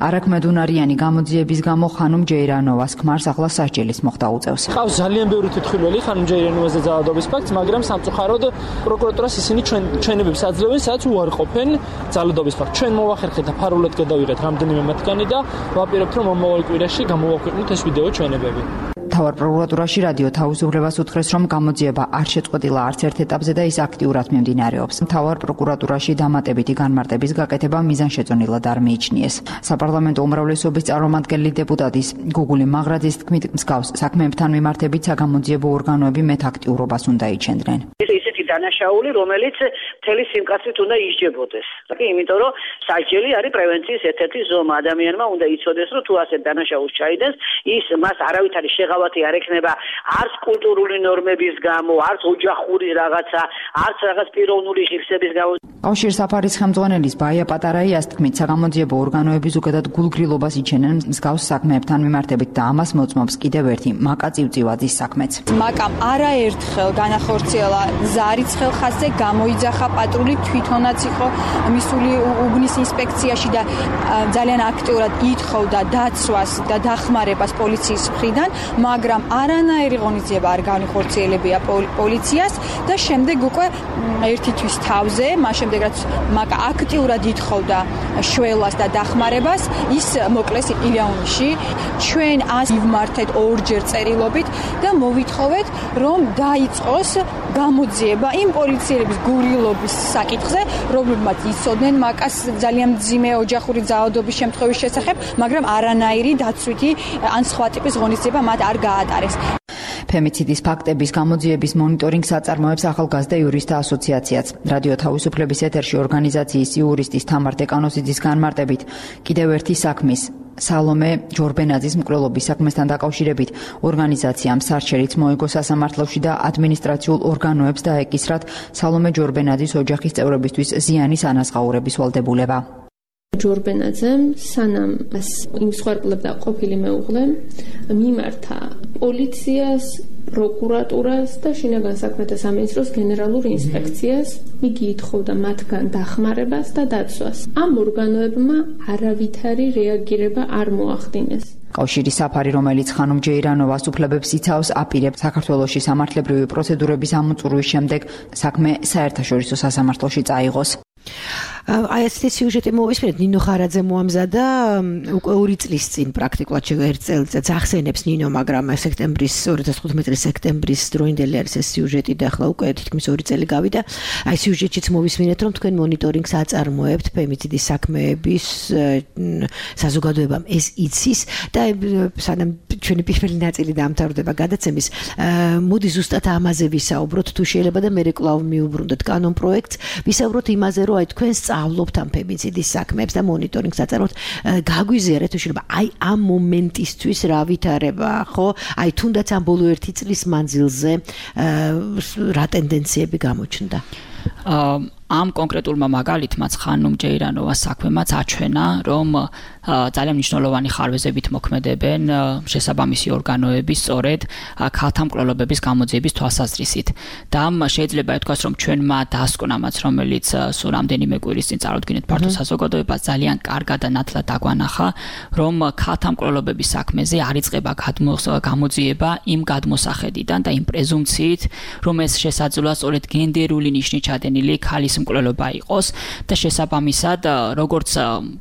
არაქმედუნარიანი გამოძიების გამო ხანუმ ჯეირანოვას ქმარს ახლა სასჯელის მოხდა უწევს. ყავს ძალიან ბევრი თვითმხილველი ხანუმ ჯეირანოვაზე ძალადობის ფაქტს, მაგრამ სამწუხაროდ პროკურატურას ისინი ჩვენ ჩვენებებს აძლევენ, სადაც უარყოფენ ძალადობის ფაქტს. ჩვენ მოვახერხეთ და ფარულად გადავიღეთ რამდენიმე მათგანი და ვაპირებთ, რომ მომავალ კვირაში გამოვაქვეყნოთ ეს ვიდეო ჩვენებები. მთავარ პროკურატურაში რადიო თავისუფლებას უთხრეს, რომ გამოძიება არ შეწყვეტილა არც ერთ ეტაპზე და ის აქტიურად მიმდინარეობს. მთავარ პროკურატურაში დამატებითი განმარტების გაკეთება მიზანშეწონილად არ მიიჩნიეს. საპარლამენტო უმრავლესობის წარმომადგენელი დეპუტატის გუგული მაღრაძის თქმით, მსგავს საქმეებთან მიმართებით საგამოძიებო ორგანოები მეტ აქტიურობას უნდა იჩენდნენ. ეს ესეთი დანაშაული, რომელიც მთელი სიმკაცრით უნდა ისჯებოდეს. იმიტომ რომ სასჯელი არის პრევენციის ერთ-ერთი ზომა. ადამიანმა უნდა იცოდეს, რომ თუ ასე დანაშაულს ჩაიდენს, ის მას არავითარი შეღავათი არ ექნება არც კულტურული ნორმების გამო, არც ოჯახური რაღაცა, არც რაღაც პიროვნული ღირსების გამო. კავშირ საფარის ხელმძღვანელის ბაია პატარაიას თქმით, საგამოძიებო ორგანოები ზოგადად გულგრილობას იჩენენ მსგავს საქმეებთან მიმართებით და ამას მოწმობს კიდევ ერთი მაკა წივწივაძის საქმეც. მაკამ არაერთხელ განახორციელა ზარიც ხელხასზე, გამოიძახა პატრული, თვითონაც იყო მისული უბნის ინსპექციაში და ძალიან აქტიურად ითხოვდა დაცვას და დახმარებას პოლიციის მხრიდან, მაგრამ არანაირი ღონისძიება არ განახორციელებია პოლიციას და შემდეგ უკვე ერთი თვის თავზე, მას შემდეგ რაც მაკა აქტიურად ითხოვდა შველას და დახმარებას, ის მოკლეს ილიანში. ჩვენ ას ვიმართეთ ორჯერ წერილობით და მოვითხოვეთ, რომ დაიწყოს გამოძიება იმ პოლიციელების გურილობის საკითხზე, რომლებმაც იცოდნენ მაკას ძალიან მძიმე ოჯახური ძალადობის შემთხვევის შესახებ, მაგრამ არანაირი დაცვითი ან სხვა ტიპის ღონისძიება მათ არ გაატარეს. ფემიციდის ფაქტების გამოძიების მონიტორინგს აწარმოებს ახალგაზრდა იურისტთა ასოციაციაც. რადიო თავისუფლების ეთერში ორგანიზაციის იურისტის თამარ დეკანოზიძის განმარტებით კიდევ ერთი საქმის სალომე ჯორბენაძის მკვლელობის საქმესთან დაკავშირებით ორგანიზაციამ სარჩელიც მოიგო სასამართლოში და ადმინისტრაციულ ორგანოებს დაეკისრათ სალომე ჯორბენაძის ოჯახის წევრებისთვის ზიანის ანაზღაურების ვალდებულება. ჯორბენაძემ სანამ იმ მსხვერპლობდა ყოფილი მეუღლე მიმართა პოლიციას, პროკურატურას და შინაგან საქმეთა სამინისტროს გენერალურ ინსპექციას. იგი ითხოვდა მათგან დახმარებას და დაცვას. ამ ორგანოებმა არავითარი რეაგირება არ მოახდინეს. კავშირის საფარი, რომელიც ხანუმ ჯეირანოვას უფლებებს იცავს, აპირებს საქართველოში სამართლებრივი პროცედურების ამოწურვის შემდეგ საქმე საერთაშორისო სასამართლოში წაიღოს. აი ესეთი სიუჟეტი მოვისმენთ, ნინო ხარაძე მოამზადა უკვე ორი წლის წინ პრაქტიკულად ერთ წელიწადს ახსენებს ნინო, მაგრამ სექტემბრის ორი ათას თხუთმეტი წლის სექტემბრის დროინდელი არის ეს სიუჟეტი და ახლა უკვე თითქმის ორი წელი გავიდა. აი სიუჟეტშიც მოვისმენთ, რომ თქვენ მონიტორინგს აწარმოებთ ფემიციდის საქმეების საზოგადოებამ ეს იცის და სანამ ჩვენი პირველი ნაწილი დამთავრდება გადაცემის, მოდი ზუსტად ამაზე ვისაუბროთ, თუ შეიძლება და მე კვლავ მიუბრუნდეთ კანონ პროექტს, ვისაუბროთ იმაზე, რომ აი თქვენ სწავლობთ ამ ფემიციდის საქმეებს და მონიტორინგს აწარმოებთ, გაგვიზიარეთ თუ შეიძლება აი ამ მომენტისთვის რა ვითარება, ხო? აი თუნდაც ამ ბოლო ერთი წლის მანძილზე რა ტენდენციები გამოჩნდა? ამ კონკრეტულმა მაგალითმაც ხანუმ ჯეირანოვას საქმემაც აჩვენა, რომ ძალიან მნიშვნელოვანი ხარვეზებით მოქმედებენ შესაბამისი ორგანოები სწორედ ქალთა მკვლელობების გამოძიების თვალსაზრისით. და შეიძლება ითქვას, რომ ჩვენმა დასკვნამაც, რომელიც სულ რამდენიმე კვირის წინ წარუდგინეთ ფართო საზოგადოებას, ძალიან კარგად და ნათლად დაგვანახა, რომ ქალთა მკვლელობების საქმეზე არ იწყება გამოძიება იმ გადმოსახედიდან და იმ პრეზუმციით, რომ ეს შესაძლოა სწორედ გენდერული ნიშნით ჩადენილი ქალის მკვლელობა იყოს და შესაბამისად როგორც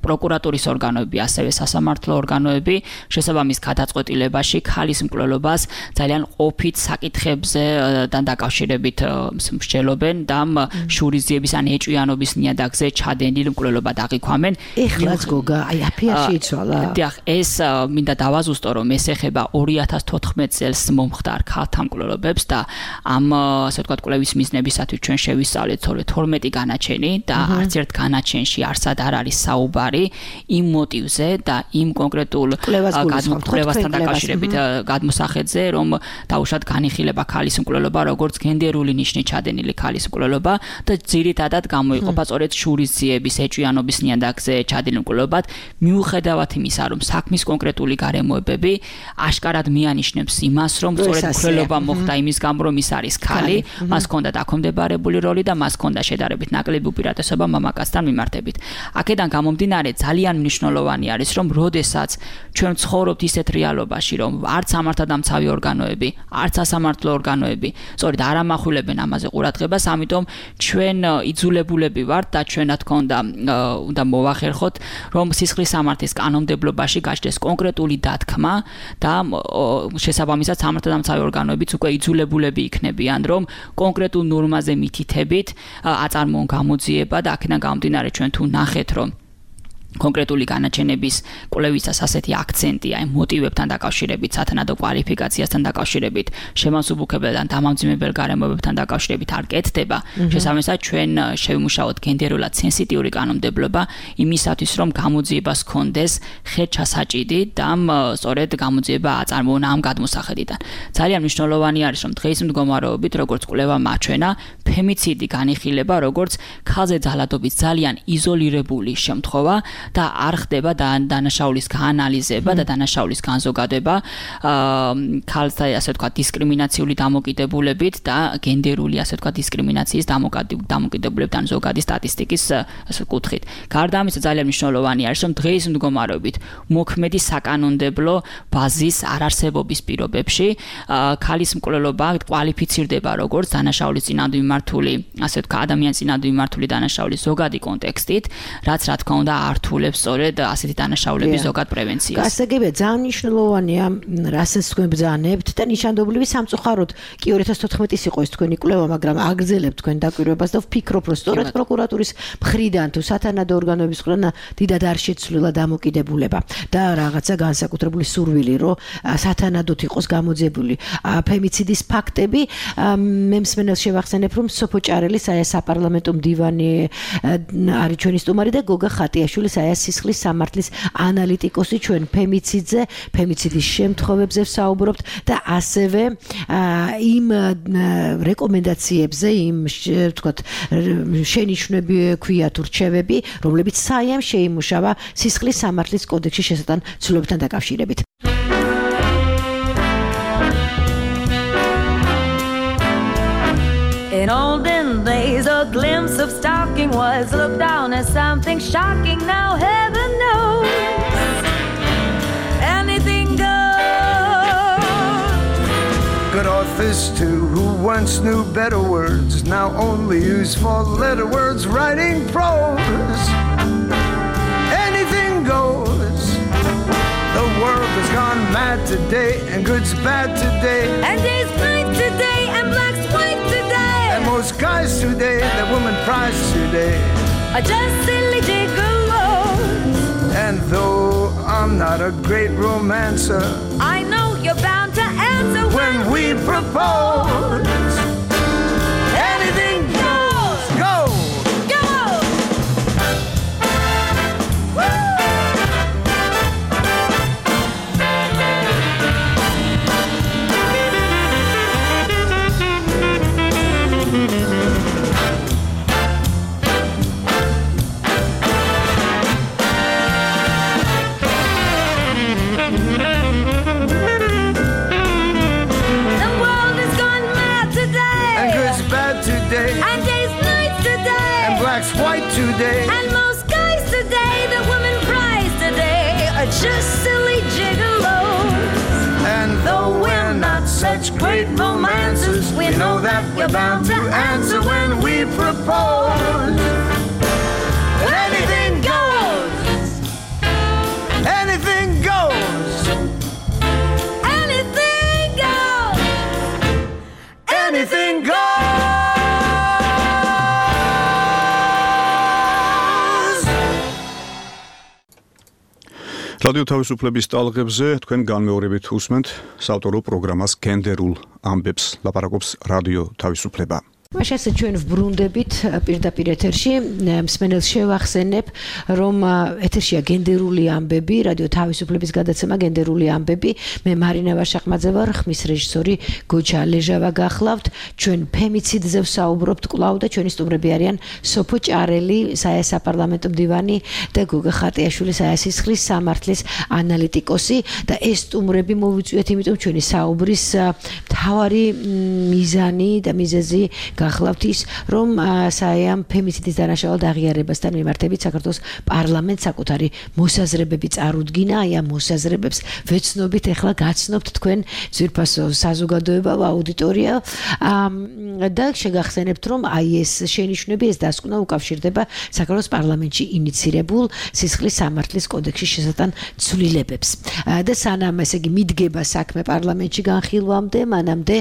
პროკურატურის ორგანოები, ასევე სასამართლო ორგანოები შესაბამის გადაწყვეტილებაში ქალის მკვლელობას ძალიან ყოფით საკითხებზე დაკავშირებით მსჯელობენ და შურისძიების ან ეჭვიანობის ნიადაგზე ჩადენილ მკვლელობად აღიქვამენ. ეხლაც გოგა, აი აფიაში იცვალა. დიახ, ეს მინდა დავაზუსტო, რომ ეს ეხება ორი ათას თოთხმეტ წელს მომხდარ ქალთა მკვლელობებს და ამ ასე ვთქვათ კვლევის მიზნებისათვის ჩვენ შევისწავლეთ თორმეტი განაჩენი და არც ერთ განაჩენში არსად არ არის საუბარი იმ მოტივზე და იმ კონკრეტულ კვლევასთან დაკავშირებით გადმოსახედზე, რომ დაუშვათ განიხილება ქალის მკვლელობა როგორც გენდერული ნიშნით ჩადენილი ქალის მკვლელობა და ძირითადად გამოიყოფა სწორედ შურისძიების ეჭვიანობის ნიადაგზე ჩადენილ მკვლელობად, მიუხედავად იმისა, რომ საქმის კონკრეტული გარემოებები აშკარად მიანიშნებს იმას, რომ სწორედ მკვლელობა მოხდა იმის გამო, რომ ის არის ქალი, მას ჰქონდა დაქვემდებარებული როლი და მას ჰქონდა შედარებით ნაკლები უპირატესობა მამაკაცთან მიმართებით. აქედან გამომდინარე ძალიან მნიშვნელოვანი არის, რომ როდესაც ჩვენ ცხოვრობთ ისეთ რეალობაში, რომ არც სამართალდამცავი ორგანოები, არც სასამართლო ორგანოები სწორედ არ ამახვილებენ ამაზე ყურადღებას, ამიტომ ჩვენ იძულებულები ვართ და ჩვენ რა თქმა უნდა უნდა მოვახერხოთ, რომ სისხლის სამართლის კანონმდებლობაში გაჩნდეს კონკრეტული დათქმა და შესაბამისად სამართალდამცავი ორგანოებიც უკვე იძულებულები იქნებიან, რომ კონკრეტულ ნორმაზე მითითებით აწარმოონ გამოძიება და აქედან გამომდინარე ჩვენ თუ ნახეთ, რომ კონკრეტული განაჩენების კვლევისას ასეთი აქცენტი აი მოტივებთან დაკავშირებით, სათანადო კვალიფიკაციასთან დაკავშირებით, შემოსუბუქებელ ან დამამძიმებელ გარემოებებთან დაკავშირებით არ კეთდება. შესაბამისად, ჩვენ შევიმუშაოთ გენდერულად სენსიტიური კანონმდებლობა იმისათვის, რომ გამოძიებას ჰქონდეს ხელჩასაჭიდი და სწორედ გამოძიება აწარმოონა ამ გადმოსახედიდან. ძალიან მნიშვნელოვანი არის, რომ დღეის მდგომარეობით, როგორც კვლევა მაჩვენა, ფემიციდი განიხილება როგორც ქალზე ძალადობის ძალიან იზოლირებული შემთხვევა და არ ხდება დანაშაულის გაანალიზება და დანაშაულის განზოგადება ქალთა ასე ვთქვათ დისკრიმინაციული დამოკიდებულებით და გენდერული ასე ვთქვათ დისკრიმინაციის დამოკიდებულებთან ზოგადი სტატისტიკის ასე კუთხით. გარდა ამისა ძალიან მნიშვნელოვანი არის, რომ დღეის მდგომარეობით მოქმედი საკანონმდებლო ბაზის არარსებობის პირობებში ქალის მკვლელობა კვალიფიცირდება როგორც დანაშაულის წინააღმდეგ მიმართული ასე ვთქვათ ადამიანის წინააღმდეგ მიმართული დანაშაულის ზოგადი კონტექსტით, რაც რა თქმა უნდა ართულებს სწორედ ასეთი დანაშაულების ზოგად პრევენციას. გასაგებია, ძალიან მნიშვნელოვანია, რასაც თქვენ ბრძანებთ და ნიშანდობლივი სამწუხაროდ კი ორი ათას თოთხმეტი იყო ეს თქვენი კვლევა, მაგრამ აგრძელებთ თქვენ დაკვირვებას და ვფიქრობ, რომ სწორედ პროკურატურის მხრიდან თუ სათანადო ორგანოების მხრიდან დიდად არ შეცვლილა დამოკიდებულება და რაღაცა განსაკუთრებული სურვილი, რომ სათანადოდ იყოს გამოძიებული ფემიციდის ფაქტები. მე მსმენელს შევახსენებ, რომ სოფო ჭარელი საია საპარლამენტო მდივანი არის ჩვენი სტუმარი და გოგა ხატიაშვილი საია სისხლის სამართლის ანალიტიკოსი ჩვენ ფემიციდზე, ფემიციდის შემთხვევებზე ვსაუბრობთ და ასევე იმ რეკომენდაციებზე, იმ ვთქვათ შენიშვნები ქვია თუ რჩევები, რომლებიც საიამ შეიმუშავა სისხლის სამართლის კოდექსში შესატან ცვლილებებთან დაკავშირებით. In olden days, a glimpse of stalking was looked down as something shocking. Now heaven knows anything goes. Good authors too, who once knew better words, now only use four-letter words writing prose. Anything goes. The world has gone mad today, and good's bad today, and day's night today, and black's white today. And most guys today, that woman prize today, are just silly gigolos. And though I'm not a great romancer, I know you're bound to answer when, when we propose. Anything goes, go, go. Woo! White today, and most guys today, the woman prize today, are just silly gigolos. And though we're not such great romancers, we know that we're bound to answer when we propose. Anything goes. Anything goes. Anything goes. Anything goes. რადიო თავისუფლების ტალღებზე თქვენ განმეორებით უსმენთ საავტორო პროგრამას გენდერულ ამბებს, ლაპარაკობს რადიო თავისუფლება. მაშასე ჩვენ ვბრუნდებით პირდაპირ ეთერში, მსმენელს შევახსენებ, რომ ეთერშია გენდერული ამბები, რადიო თავისუფლების გადაცემა გენდერული ამბები. მე მარინა ვაშახმაძე ვარ, ხმის რეჟისორი გოჩა ლეჟავა გახლავთ. ჩვენ ფემიციდზე ვსაუბრობთ კვლავ და ჩვენი სტუმრები არიან სოფო ჭარელი, საია საპარლამენტო მდივანი და გოგა ხატიაშვილი, საია სისხლის სამართლის ანალიტიკოსი და ეს სტუმრები მოვიწვიეთ, იმიტომ ჩვენი საუბრის მთავარი მიზანი და მიზეზი გახლავთ ის, რომ საიამ ფემიციდის დანაშაულად აღიარებასთან მიმართებით საქართველოს პარლამენტს საკუთარი მოსაზრებები წარუდგინა. აი ამ მოსაზრებებს ვეცნობით, ეხლა გაცნობთ თქვენ ძვირფასო საზოგადოება, აუდიტორია და შეგახსენებთ, რომ აი ეს შენიშვნები, ეს დასკვნა უკავშირდება საქართველოს პარლამენტში ინიცირებულ სისხლის სამართლის კოდექსში შესატან ცვლილებებს. და სანამ ესე იგი მიდგება საქმე პარლამენტში განხილვამდე, მანამდე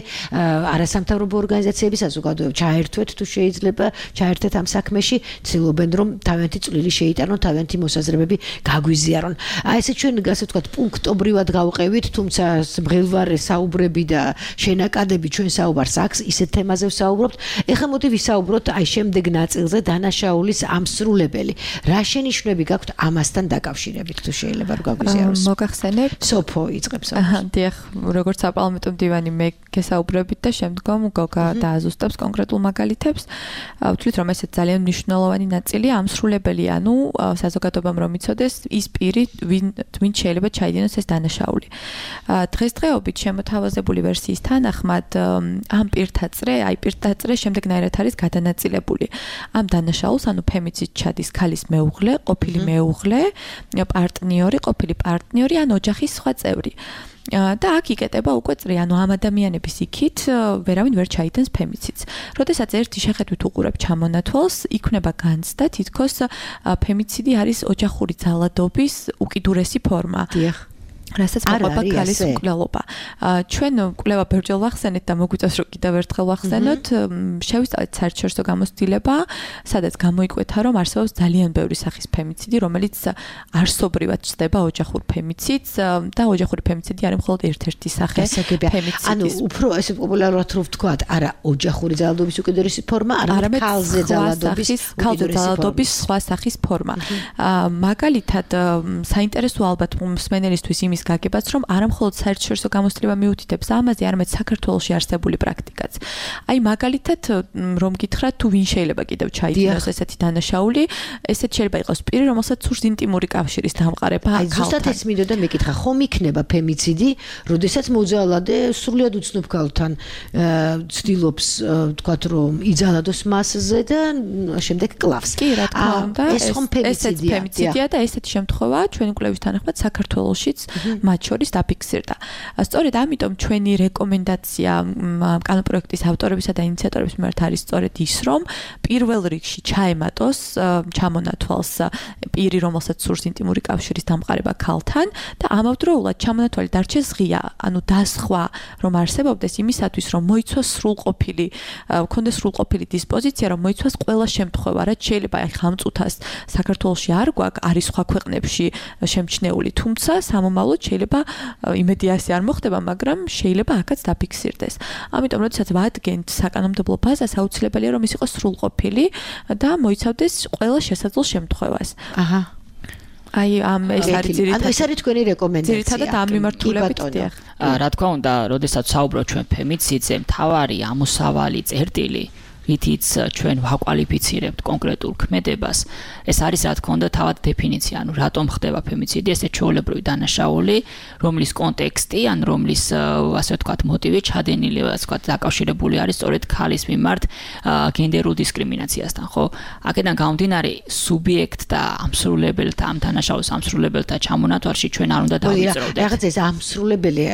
არასამთავრობო ორგანიზაციები, საზოგადოება ჩაერთვეთ თუ შეიძლება, ჩაერთეთ ამ საქმეში, ცდილობენ რომ თავიანთი წვლილი შეიტანონ, თავიანთი მოსაზრებები გაგვიზიარონ. აი ესე ჩვენ ასე ვთქვათ, პუნქტობრივად გავყევით, თუმცა მღელვარე საუბრები და შენაკადები ჩვენ საუბარს აქვს, ისეთ თემაზე ვსაუბრობთ. ეხლა მოდი ვისაუბროთ აი შემდეგ ნაწილზე დანაშაულის ამსრულებელი. რა შენიშვნები გაქვთ ამასთან დაკავშირებით, თუ შეიძლება რომ გაგვიზიაროს? მოგახსენებთ? სოფო იწყებს. აჰა, დიახ, როგორც საპარლამენტო მდივანი მე გესაუბრებით და შემდგომ გოგა დააზუსტებს კონკრეტულ მაგალითებს. ვთვლით რომ ესეც ძალიან მნიშვნელოვანი ნაწილია ამსრულებელი, ანუ საზოგადოებამ რომ იცოდეს ის პირი, ვინ შეიძლება ჩაიდინოს ეს დანაშაული. დღესდღეობით შემოთავაზებული ვერსიის თანახმად ამ პირთაწრე, აი პირთაწრე შემდეგნაირად არის გადანაწილებული. ამ დანაშაულს, ანუ ფემიციდ ჩადის ქალის მეუღლე, ყოფილი მეუღლე, პარტნიორი, ყოფილი პარტნიორი ან ოჯახის სხვა წევრი. და აქ იკეტება უკვე წრი, ანუ ამ ადამიანების იქით ვერავინ ვერ ჩაიდენს ფემიციდს. როდესაც ერთი შეხედვით უყურებ ჩამონათვალს, იქნება განცდა, თითქოს ფემიციდი არის ოჯახური ძალადობის უკიდურესი ფორმა. დიახ. რასაც მოყვება ქალის მკვლელობა. ჩვენ კვლევა ბერჯელ ვახსენეთ და მოგვიწევს რომ კიდევ ერთხელ ვახსენოთ, შევისწავლეთ საერთაშორისო გამოცდილება, სადაც გამოიკვეთა რომ არსებობს ძალიან ბევრი სახის ფემიციდი, რომელიც არსობრივად ჩნდება ოჯახურ ფემიციდს და ოჯახური ფემიციდი არის მხოლოდ ერთ-ერთი სახე ფემიციდის. ანუ უფრო ესე პოპულარულად რო ვთქვათ, არა ოჯახური ძალადობის უკიდურესი ფორმა, არამედ ქალზე ძალადობის ძალადობის სხვა სახის ფორმა. მაგალითად, საინტერესო ალბათ მსმენელისთვის იმის გაგებაც, რომ არა მხოლოდ საერთაშორისო გამოცდილება მიუთითებს ამაზე, არამედ საქართველოში არსებული პრაქტიკაც. აი მაგალითად, რომ გითხრათ, თუ ვინ შეიძლება კიდევ ჩაიდინოს ესეთი დანაშაული, ესეთ შეიძლება იყოს პირი, რომელსაც სურს ინტიმური კავშირის დამყარება ქალთან. აი ზუსტად ეს მინდოდა მეკითხა, ხომ იქნება ფემიციდი, როდესაც მოძალადე სრულიად უცნობ ქალთან ცდილობს, თქვათ, რომ იძალადოს მასზე და შემდეგ კლავს. კი, რა თქმა უნდა, ეს ხომ ფემიციდია. ფემიციდია და ესეთი შემთხვევა ჩვენი კვლევის თანახმად საქართველოშიც მათ შორის დაფიქსირდა. სწორედ ამიტომ ჩვენი რეკომენდაცია კანონპროექტის ავტორებისა და ინიციატორების მიმართ არის სწორედ ის, რომ პირველ რიგში ჩაემატოს ჩამონათვალს პირი, რომელსაც სურს ინტიმური კავშირის დამყარება ქალთან და ამავდროულად ჩამონათვალი დარჩეს ღია, ანუ დასხვა რომ არსებობდეს იმისათვის, რომ მოიცვას სრულყოფილი, ქონდეს სრულყოფილი დისპოზიცია, რომ მოიცვას ყველა შემთხვევა, რაც შეიძლება აი ხამ წუთას საქართველოში არ გვაქვს, არის სხვა ქვეყნებში შემჩნეული, თუმცა სამომავლოდ შეიძლება იმედი ასე არ მოხდება, მაგრამ შეიძლება აქაც დაფიქსირდეს. ამიტომ, როდესაც ვადგენთ საკანონმდებლო ბაზას, აუცილებელია რომ ის იყოს სრულყოფილი და მოიცავდეს ყველა შესაძლო შემთხვევას. აჰა. აი ამ ეს არის ძირითადად. ანუ ეს არის თქვენი რეკომენდაცია. ძირითადად ამ მიმართულებით დიახ. რა თქმა უნდა, როდესაც საუბრობთ ჩვენ ფემიციდზე, მთავარი ამოსავალი წერტილი რითიც ჩვენ ვაკვალიფიცირებთ კონკრეტულ ქმედებას, ეს არის რა თქმა უნდა თავად დეფინიცია, ანუ რატომ ხდება ფემიციდი, ესე ჩვეულებრივი დანაშაული, რომლის კონტექსტი, ან რომლის ასე ვთქვათ მოტივი ჩადენილი, ასე ვთქვათ დაკავშირებული არის სწორედ ქალის მიმართ გენდერულ დისკრიმინაციასთან, ხო? აქედან გამომდინარე, სუბიექტთა ამსრულებელთა, ამ დანაშაულის ამსრულებელთა ჩამონათვალში ჩვენ არ უნდა დავიწროვდეთ. რაღაც ეს ამსრულებელი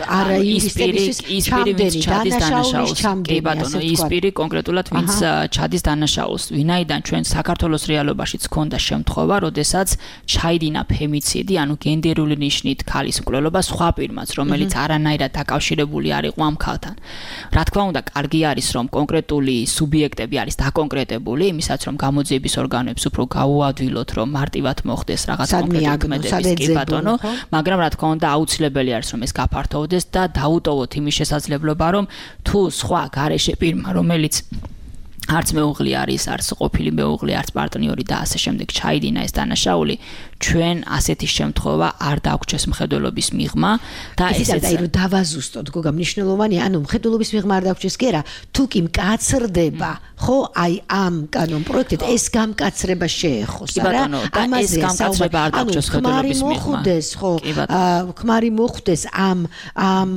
არა ის პირი, ვინც ჩადის დანაშაულს, კი ბატონო, ის პირი კონკრეტულად ვინც ჩადის დანაშაულს, ვინაიდან ჩვენ საქართველოს რეალობაშიც ქონდა შემთხვევა, როდესაც ჩაიდინა ფემიციდი, ანუ გენდერული ნიშნით ქალის მკვლელობა სხვა პირმაც, რომელიც არანაირად დაკავშირებული არ იყო ამ ქალთან. რა თქმა უნდა, კარგი არის, რომ კონკრეტული სუბიექტები არის დაკონკრეტებული, იმისაც რომ გამოძიების ორგანოებს უფრო გაუადვილოთ, რომ მარტივად მოხდეს რაღაც კონკრეტული ქმედების, კი ბატონო, მაგრამ რა თქმა უნდა, აუცილებელი არის, რომ ეს გაფართოვდეს და დაუტოვოთ იმის შესაძლებლობა, რომ თუ სხვა გარეშე პირმა, რომელიც არც მეუღლე არის, არც ყოფილი მეუღლე, არც პარტნიორი და ასე შემდეგ ჩაიდინა ეს დანაშაული, ჩვენ ასეთი შემთხვევა არ დაგვჭეს მხედველობის მიღმა და ესეც აი რომ დავაზუსტოთ, გოგა, მნიშვნელოვანია, ანუ მხედველობის მიღმა არ დაგვჭეს კი არა, თუ კი მკაცრდება, ხო, აი ამ კანონპროექტით ეს გამკაცრება შეეხოს, არა? ეს გამკაცრება არ დაგვჭეს მხედველობის მიღმა. მოხდეს, ხო, ქმარი მოხდეს ამ ამ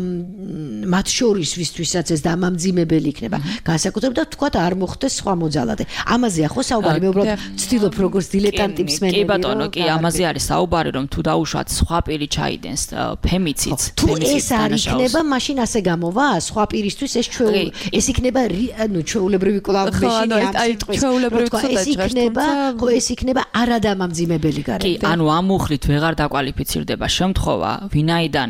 მათ შორის ვისთვისაც ეს დამამძიმებელი იქნება. განსაკუთრებით და თქვა არ მოხდეს სხვა მოძალადე. ამაზეა ხო საუბარი, მე უბრალოდ ვცდილობ როგორც დილეტანტი მსმენელი. კი ბატონო, კი, ამაზე ამაზე არის საუბარი, რომ თუ დაუშვათ სხვა პირი ჩაიდენს ფემიციდს, თუ ეს არ იქნება, მაშინ ასე გამოვა, სხვა პირისთვის ეს ჩვეულ ეს იქნება ანუ ჩვეულებრივი კლავიშინი ამ სიტყვის. ეს იქნება, ხო ეს იქნება არადამამძიმებელი გარემო. კი, ანუ ამ მუხლით ვეღარ დაკვალიფიცირდება შემთხვევა, ვინაიდან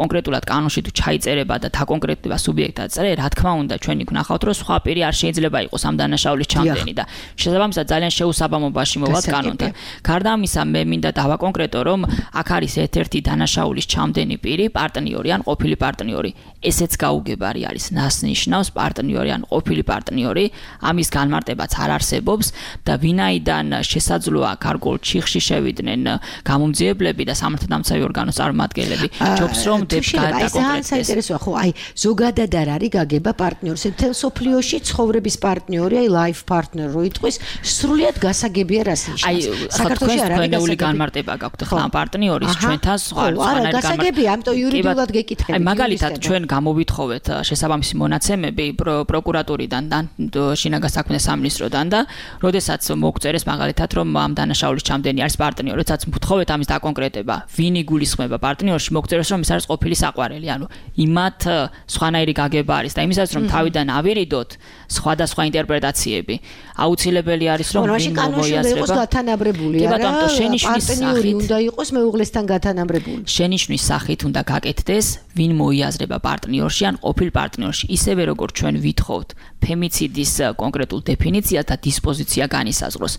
კონკრეტულად კანონში თუ ჩაიწერება და დაკონკრეტდება სუბიექტად წერე, რა თქმა უნდა, ჩვენ იქ ვნახავთ, რომ სხვა პირი არ შეიძლება იყოს ამ დანაშაულის ჩამდენი და შესაბამისად ძალიან შეუსაბამობაში მოვად კანონთან. გარდა ამისა, მე მინდა დავაკონკრეტო, რომ აქ არის ერთ-ერთი დანაშაულის ჩამდენი პირი, პარტნიორი ან ყოფილი პარტნიორი. ესეც გაუგებარი არის, ნასნიშნავს პარტნიორი ან ყოფილი პარტნიორი, ამის განმარტებაც არ არსებობს და ვინაიდან შესაძლოა გარკვეულ ჩიხში შევიდნენ გამომძიებლები და სამართალდამცავი ორგანოს წარმომადგენლები, ჯობს რომ დაკონკრეტდეს. საინტერესოა, ხო, აი ზოგადად არ არის გაგება პარტნიორს, თელ სოფლიოში ცხოვრების პარტნიორი, აი life partner რო იტყვის, სრულიად გასაგებია რას ნიშნავს. აი საქართველოს არ არის გასაგები განმარტება გაქვთ ხო ამ პარტნიორის ჩვენთან სხვა არა გასაგებია, ამიტომ იურიდიულად გეკითხები. აი მაგალითად ჩვენ გამოვითხოვეთ შესაბამისი მონაცემები პროკურატურიდან და შინაგან საქმეთა სამინისტროდან და როდესაც მოგწერეს მაგალითად რომ ამ დანაშაულის ჩამდენი არის პარტნიორი, როდესაც ვთხოვეთ ამის დაკონკრეტება, ვინ იგულისხმება პარტნიორში, მოგწერეს რომ ის არის ყოფილი საყვარელი, ანუ იმათ სხვანაირი გაგება არის და იმისაც რომ თავიდან ავირიდოთ სხვადასხვა ინტერპრეტაციები, აუცილებელი არის რომ ვინ მოიაზრება. გათანაბრებული არა, პარტნიორი უნდა იყოს მეუღლესთან გათანაბრებული. შენიშვნის სახით უნდა გაკეთდეს, ვინ მოიაზრება პარტნიორში ან ყოფილ პარტნიორში, ისევე როგორც ჩვენ ვითხოვთ ფემიციდის კონკრეტულ დეფინიციას და დისპოზიცია განისაზღვროს.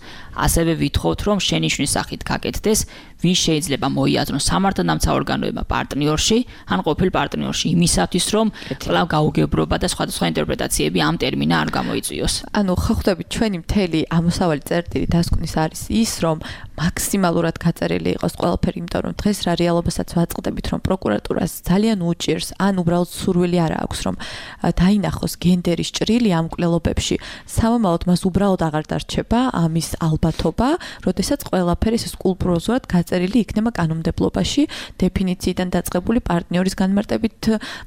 ასევე ვითხოვთ, რომ შენიშვნის სახით გაკეთდეს, ვინ შეიძლება მოიაზროს სამართალდამცავ ორგანოებმა პარტნიორში ან ყოფილ პარტნიორში, იმისათვის რომ კვლავ გაუგებრობა და სხვადასხვა ინტერპრეტაციები ამ ტერმინა არ გამოიწვიოს. ანუ ხო ხვდებით, ჩვენი მთელი ამოსავალი წერტილი დასკვნის არის ის, რომ მაქსიმალურად გაწერილი იყოს ყველაფერი, იმიტომ რომ დღეს რა რეალობასაც ვაწყდებით, რომ პროკურატურას ძალიან უჭირს, ან უბრალოდ სურვილი არ აქვს, რომ დაინახოს გენდერის ჭრილი ამ კვლელობებში. სამომავლოდ მას უბრალოდ აღარ დარჩება ამის ალბათობა, როდესაც ყველაფერი ეს სკულპტუროზულად გაწერილი იქნება კანონმდებლობაში, დეფინიციიდან დაწყებული პარტნიორის განმარტებით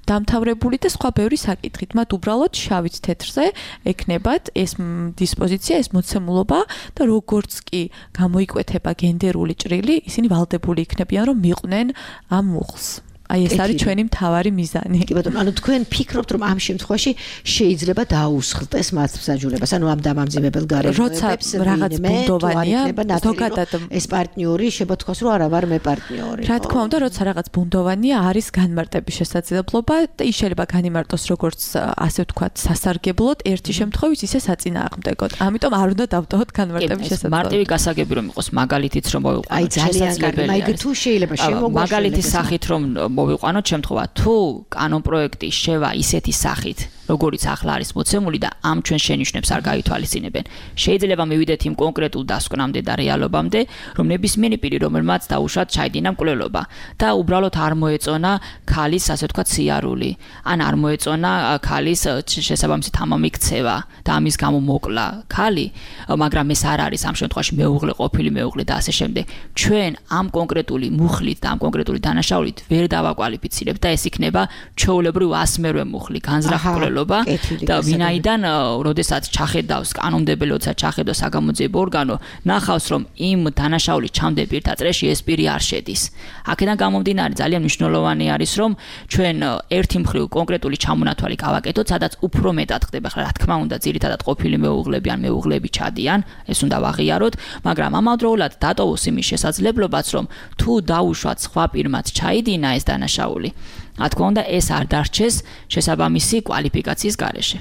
დამთავრებული და სხვა ბევრი საკითხით. მათ უბრალოდ შავით თეთრზე ექნებათ ეს დისპოზიცია, ეს მოცემულობა და როგორც კი გამოიკვეთება გენდერული ჭრილი, ისინი ვალდებული იქნებიან, რომ მიყვნენ ამ მუხლს. აი ეს არის ჩვენი მთავარი მიზანი. კი ბატონო, ანუ თქვენ ფიქრობთ, რომ ამ შემთხვევაში შეიძლება დაუსხლტეს მათ მსაჯულებას, ანუ ამ დამამძიმებელ გარემოებებს, რაღაც ბუნდოვანია, ზოგადად ეს პარტნიორი შეგეთქვას, რომ არა ვარ მე პარტნიორი. რა თქმა უნდა, როცა რაღაც ბუნდოვანია, არის განმარტების შესაძლებლობა და ის შეიძლება განიმარტოს როგორც ასე ვთქვათ, სასარგებლოდ, ერთი შემთხვევით ისე საწინააღმდეგოდ. ამიტომ არ უნდა დავტოვოთ განმარტების შესაძლებლობა. მარტივი გასაგები რომ იყოს, მაგალითიც რომ მოვიყვანოთ. აი ძალიან კარგი, მაიგ თუ შეიძლება შემოგვაშალოს. მაგალითის სახით რომ მოვიყვანოთ შემთხვევა, თუ კანონ პროექტი შევა ისეთი სახით, როგორიც ახლა არის მოცემული და ამ ჩვენ შენიშვნებს არ გაითვალისწინებენ. შეიძლება მივიდეთ იმ კონკრეტულ დასკვნამდე და რეალობამდე, რომ ნებისმიერი პირი, რომელმაც დაუშვათ ჩაიდინა მკვლელობა და უბრალოდ არ მოეწონა ქალის, ასე ვთქვათ, სიარული, ან არ მოეწონა ქალის შესაბამისი თამამი ქცევა და ამის გამო მოკლა ქალი, მაგრამ ეს არ არის ამ შემთხვევაში მეუღლე, ყოფილი მეუღლე და ასე შემდეგ. ჩვენ ამ კონკრეტული მუხლით და ამ კონკრეტული დანაშაულით ვერ დავაკვალიფიცირებთ და ეს იქნება ჩვეულებრივ ასმერვე მუხლი, განზრახ და ვინაიდან როდესაც ჩახედავს კანონმდებელი, როცა ჩახედავს საგამოძიებო ორგანო, ნახავს რომ იმ დანაშაულის ჩამდენ პირთა წრეში ეს პირი არ შედის. აქედან გამომდინარე ძალიან მნიშვნელოვანი არის რომ ჩვენ ერთი მხრივ კონკრეტული ჩამონათვალი გავაკეთოთ, სადაც უფრო მეტად ხდება, რა თქმა უნდა, ძირითადად ყოფილი მეუღლები ან მეუღლები ჩადიან, ეს უნდა ვაღიაროთ, მაგრამ ამავდროულად დატოვოს იმის შესაძლებლობაც რომ თუ დაუშვათ სხვა პირმაც ჩაიდინა ეს დანაშაული, რა თქმა უნდა ეს არ დარჩეს შესაბამისი კვალიფიკაციის გარეშე.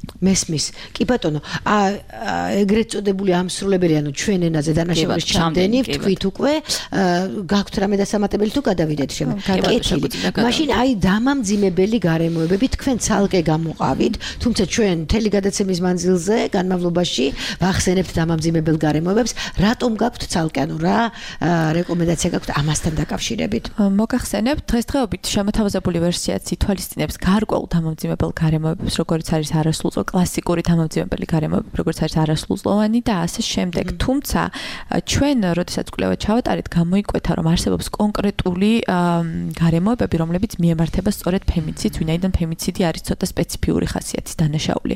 მესმის. კი ბატონო, ეგრეთ წოდებული ამსრულებელი, ანუ ჩვენ ენაზე დანაშაულის ჩამდენი, ვთქვით უკვე, გაქვთ რამე დასამატებელი თუ გადავიდეთ შემო. კეთილი. მაშინ აი დამამძიმებელი გარემოებები თქვენ ცალკე გამოყავით, თუმცა ჩვენ მთელი გადაცემის მანძილზე, განმავლობაში ვახსენებთ დამამძიმებელ გარემოებებს, რატომ გაქვთ ცალკე, ანუ რა რეკომენდაცია გაქვთ ამასთან დაკავშირებით? მოგახსენებთ, დღესდღეობით შემოთავაზებული ვერსიაც ითვალისწინებს გარკვეულ დამამძიმებელ გარემოებებს, როგორც არის არასრულ არასრულწლოვანი კლასიკური დამამძიმებელი გარემოები, როგორც არის არასრულწლოვანი და ასე შემდეგ. თუმცა ჩვენ, როდესაც კვლევა ჩავატარეთ, გამოიკვეთა, რომ არსებობს კონკრეტული გარემოებები, რომლებიც მიემართება სწორედ ფემიციდს, ვინაიდან ფემიციდი არის ცოტა სპეციფიური ხასიათის დანაშაული.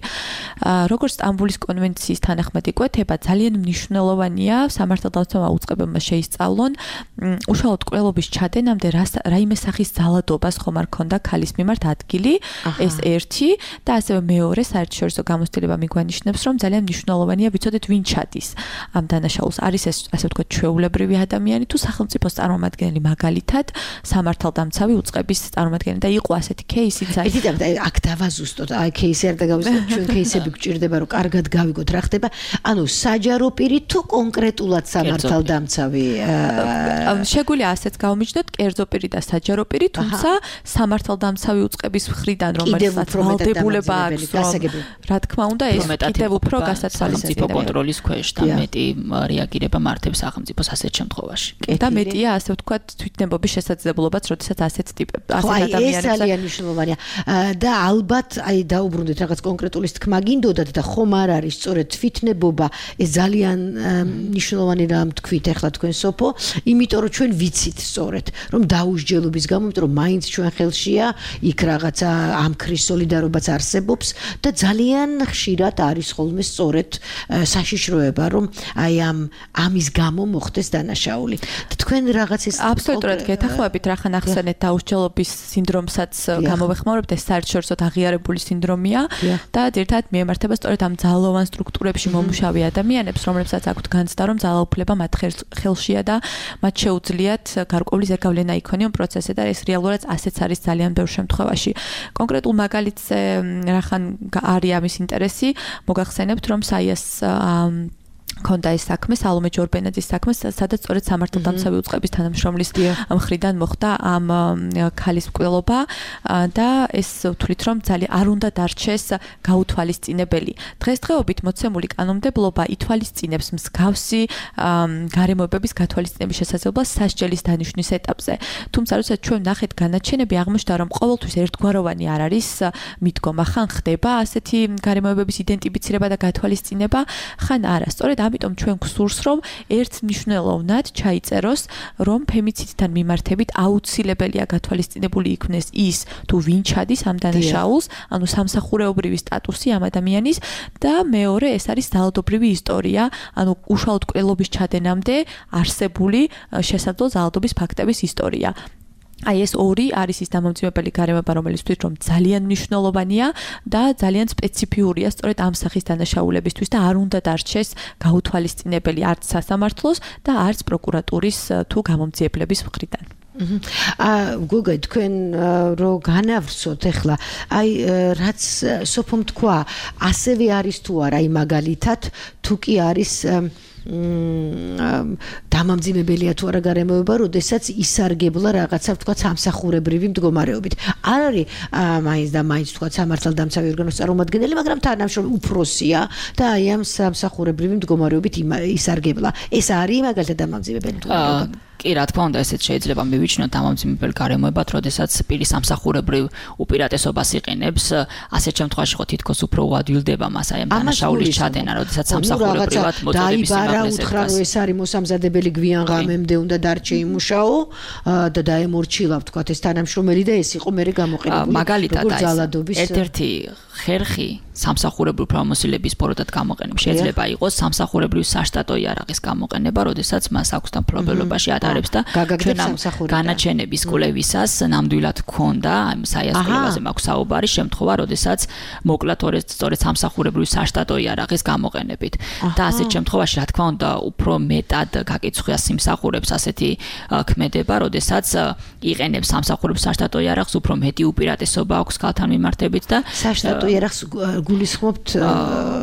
როგორც სტამბულის კონვენციის თანახმად იკვეთება, ძალიან მნიშვნელოვანია სამართალდამცავმა უწყებებმა შეისწავლონ უშუალოდ კვლელობის ჩადენამდე რაიმე სახის ძალადობას ხომ არ ქონდა ქალის მიმართ ადგილი, ეს ერთი და ასევე მეორე საერთაშორისო გამოცდილება მიგვანიშნებს, რომ ძალიან მნიშვნელოვანია ვიცოდეთ ვინ ჩადის ამ დანაშაულს. არის ეს ასე ვთქვათ ჩვეულებრივი ადამიანი თუ სახელმწიფოს წარმომადგენელი, მაგალითად სამართალდამცავი უწყების წარმომადგენელი და იყო ასეთი кейსიც აი აქ დავაზუსტოთ, აი кейსი არ დაგავიწყოთ, ჩვენ кейსები გვჭირდება რომ კარგად გავიგოთ რა ხდება, ანუ საჯარო პირი თუ კონკრეტულად სამართალდამცავი შეგვიძლია ასეც გავმიჯდოთ კერძო პირი და საჯარო პირი, თუმცა სამართალდამცავი უწყების მხრიდან რომელსაც ვალდებულება აქვს, რა თქმა უნდა ეს კიდევ უფრო გასაცვალისწინებელია კონტროლის ქვეშ და მეტი რეაგირება მართებს სახელმწიფოს ასეთ შემთხვევაში. და მეტია ასე ვთქვათ თვითნებობის შესაძლებლობაც, როდესაც ასეთ ტიპებს ასეთ ადამიანებს ეს ძალიან მნიშვნელოვანია და ალბათ აი დაუბრუნდეთ რაღაც კონკრეტულის თქმა გინდოდათ და ხომ არ არის სწორედ თვითნებობა ეს ძალიან მნიშვნელოვანი რამ თქვით ახლა თქვენ სოფო, იმიტომ რომ ჩვენ ვიცით სწორედ რომ დაუსჯელობის გამო, იმიტომ რომ მაინც ჩვენ ხელშია იქ რაღაცა ამქრის სოლიდარობაც არსებობს და ძალიან ხშირად არის ხოლმე სწორედ საშიშროება რომ აი ამ ამის გამო მოხდეს დანაშაული. თქვენ რაღაც ეს აბსოლუტურად გეთანხმებით, რახან ახსენეთ დაუსჯელობის სინდრომსაც გამოვეხმაურებთ, ეს საერთაშორისოდ აღიარებული სინდრომია და ერთად მიემართება სწორედ ამ ძალოვან სტრუქტურებში მომუშავე ადამიანებს, რომლებსაც აქვთ განცდა, რომ ძალაუფლება მათ ხელშია და მათ შეუძლიათ გარკვეული ზეგავლენა იქონიონ პროცესზე და ეს რეალურად ასეც არის ძალიან ბევრ შემთხვევაში. კონკრეტულ მაგალითზე რახან არის ამის ინტერესი, მოგახსენებთ, რომ საიას ქონდა ეს საქმე, სალომე ჯორბენაძის საქმე, სადაც სწორედ სამართალდამცავი უწყების თანამშრომლის მხრიდან მოხდა ამ ქალის მკვლელობა და ეს ვთვლით, რომ ძალიან არ უნდა დარჩეს გაუთვალისწინებელი. დღესდღეობით მოცემული კანონმდებლობა ითვალისწინებს მსგავსი გარემოებების გათვალისწინების შესაძლებლობას სასჯელის დანიშვნის ეტაპზე. თუმცა, როდესაც ჩვენ ვნახეთ განაჩენები, აღმოჩნდა, რომ ყოველთვის ერთგვაროვანი არ არის მიდგომა, ხან ხდება ასეთი გარემოებების იდენტიფიცირება და გათვალისწინება, ხან არა. სწორედ ამიტომ ჩვენ გვსურს, რომ ერთ მნიშვნელოვნად ჩაიწეროს, რომ ფემიციდთან მიმართებით აუცილებელია გათვალისწინებული იქნეს ის, თუ ვინ ჩადის ამ დანაშაულს, ანუ სამსახურეობრივი სტატუსი ამ ადამიანის და მეორე ეს არის ძალადობრივი ისტორია, ანუ უშუალოდ კვლელობის ჩადენამდე არსებული შესაძლო ძალადობის ფაქტების ისტორია. აი ეს ორი არის ის დამამძიმებელი გარემოება, რომელიც ვთქვით, რომ ძალიან მნიშვნელოვანია და ძალიან სპეციფიურია სწორედ ამ სახის დანაშაულებისთვის და არ უნდა დარჩეს გაუთვალისწინებელი არც სასამართლოს და არც პროკურატურის თუ გამომძიებლების მხრიდან. აა გოგა თქვენ რო განავრცოთ ახლა აი რაც სოფომ თქვა ასევე არის თუ არა აი მაგალითად თუ კი არის დამამძიმებელია თუ არა გარემოება, როდესაც ისარგებლა რაღაცა თქვა სამსახურებრივი მდგომარეობით. არ არის მაინც და მაინც თქვა სამართალდამცავი ორგანოს წარმომადგენელი, მაგრამ თანამშრომელი უფროსია და აი ამ სამსახურებრივი მდგომარეობით ისარგებლა. ეს არის მაგალითად დამამძიმებელი მდგომარეობა. კი, რა თქმა უნდა, ესეც შეიძლება მივიჩნიოთ დამამძიმებელ გარემოებად, როდესაც პირი სამსახურებრივ უპირატესობას იყენებს, ასეთ შემთხვევაში ხო თითქოს უფრო უადვილდება მას აი ამ დანაშაულის ჩადენა, როდესაც სამსახურებრივად მოწოდების სიმაღლეზე უთხრა რომ ეს არის მოსამზადებელი გვიან ღამემდე უნდა დარჩე იმუშაო და დაემორჩილა თქვა ეს თანამშრომელი და ეს იყო მერე გამოყენებული. მაგალითად აი ერთ-ერთი ხერხი სამსახურებრივ პრომოსილების პოროდად გამოყენება შეიძლება იყოს სამსახურებრივ საშტატო იარაღის გამოყენება, როდესაც მას აქვს და მფლობელობაში ატარებს და განაჩენების კვლევისას ნამდვილად ქონდა ამ საიას კვლევაზე მაქვს საუბარი შემთხვევა, როდესაც მოკლათ სწორედ სამსახურებრივ საშტატო იარაღის გამოყენებით და ასეთ შემთხვევაში რა თქმა უნდა უფრო მეტად გაკიცხვია სიმსახურებს ასეთი ქმედება, როდესაც იყენებს სამსახურებრივ საშტატო იარაღს, უფრო მეტი უპირატესობა აქვს ქალთან მიმართებით და საშტატო იარაღს გულისხმობთ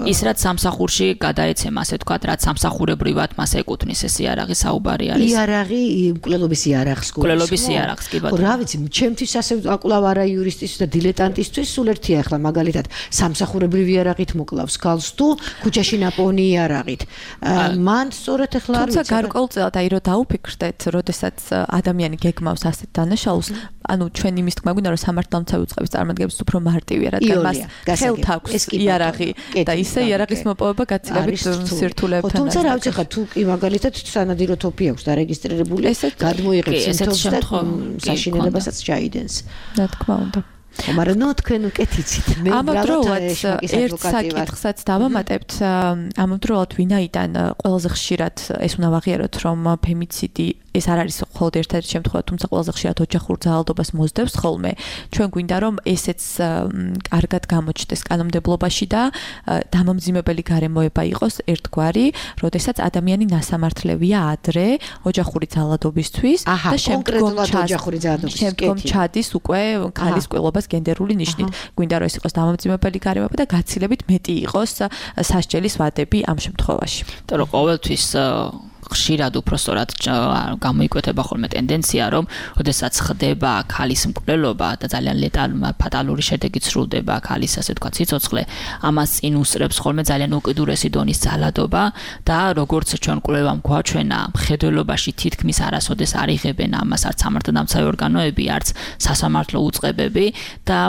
ის რაც სამსახურში გადაეცემა, ასე ვთქვათ, რაც სამსახურებრივად მას ეკუთვნის ეს იარაღი საუბარი არის. იარაღი მკვლელობის იარაღს გულისხმობთ. მკვლელობის იარაღს კი ბატონო. რა ვიცი, ჩემთვის ასე აკლავ არა იურისტისთვის და დილეტანტისთვის სულ ერთია ახლა მაგალითად სამსახურებრივი იარაღით მოკლავს ქალს თუ ქუჩაში ნაპოვნი იარაღით. მან სწორედ ახლა თუმცა გარკვეულ ყოველწელად აი რომ დაუფიქრდეთ, როდესაც ადამიანი გეგმავს ასეთ დანაშაულს, ანუ ჩვენ იმის თქმა გვინდა რომ სამართალმცავი უწყების წარმომადგენლებს უფრო მარტივია, რადგან მას ხელთ აქვს იარაღი და ისე იარაღის მოპოვება გაცილებით სირთულეებთან. თუმცა რა ვიცი ხა თუ კი მაგალითად სანადირო თოფი აქვს დარეგისტრირებული, გადმოიღებს სიმთომს და საშინელებასაც ჩაიდენს. რა თქმა უნდა. მაგრამ ნუ თქვენ უკეთიცით მე ამავდროულად ერთ საკითხსაც დავამატებთ ამავდროულად ვინაიდან ყველაზე ხშირად ეს უნდა ვაღიაროთ რომ ფემიციდი ეს არ არის მხოლოდ ერთ-ერთი შემთხვევა, თუმცა ყველაზე ხშირად ოჯახურ ძალადობას მოსდევს ხოლმე. ჩვენ გვინდა რომ ესეც კარგად გამოჩნდეს კანონმდებლობაში და დამამძიმებელი გარემოება იყოს ერთგვარი, როდესაც ადამიანი ნასამართლევია ადრე ოჯახური ძალადობისთვის და შემდგომ შემდგომ ჩადის უკვე ქალის ყვილობას გენდერული ნიშნით. გვინდა რომ ეს იყოს დამამძიმებელი გარემოება და გაცილებით მეტი იყოს სასჯელის ვადები ამ შემთხვევაში. იმიტომ რომ ყოველთვის ხშირად უფრო სწორად გამოიკვეთება ხოლმე ტენდენცია, რომ ოდესაც ხდება ქალის მკვლელობა და ძალიან ლეტალური ფატალური შედეგი სრულდება ქალის ასე თქვა სიცოცხლე, ამას წინ უსწრებს ხოლმე ძალიან უკიდურესი დონის ძალადობა და როგორც ჩვენ კვლევამ გვაჩვენა, მხედველობაში თითქმის არასოდეს არ იღებენ ამას არც სამართალდამცავი ორგანოები, არც სასამართლო უწყებები და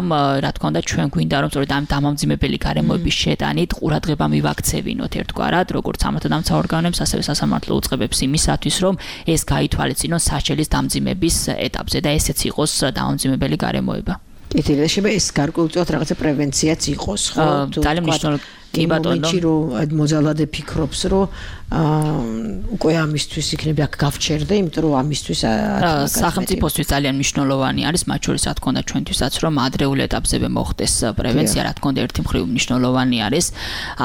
რა თქმა უნდა ჩვენ გვინდა რომ სწორედ ამ დამამძიმებელი გარემოების შეტანით ყურადღება მივაქცევინოთ ერთგვარად, როგორც სამართალდამცავ ორგანოებს, ასევე სასამართლო უწყებებს იმისათვის, რომ ეს გაითვალისწინოს სასჯელის დამძიმების ეტაპზე და ესეც იყოს დამამძიმებელი გარემოება. ეთერია შეიძლება ეს გარკვეულწილად რაღაცა პრევენციაც იყოს, ხო? ძალიან მნიშვნელოვანი კი ბატონო. რომ მოძალადე ფიქრობს, რომ უკვე ამისთვის იქნება გავჩერდე, იმიტომ რომ ამისთვის სახელმწიფოსთვის ძალიან მნიშვნელოვანი არის, მათ შორის რა თქმა უნდა ჩვენთვისაც, რომ ადრეულ ეტაპზევე მოხდეს პრევენცია, რა თქმა უნდა ერთი მხრივ მნიშვნელოვანი არის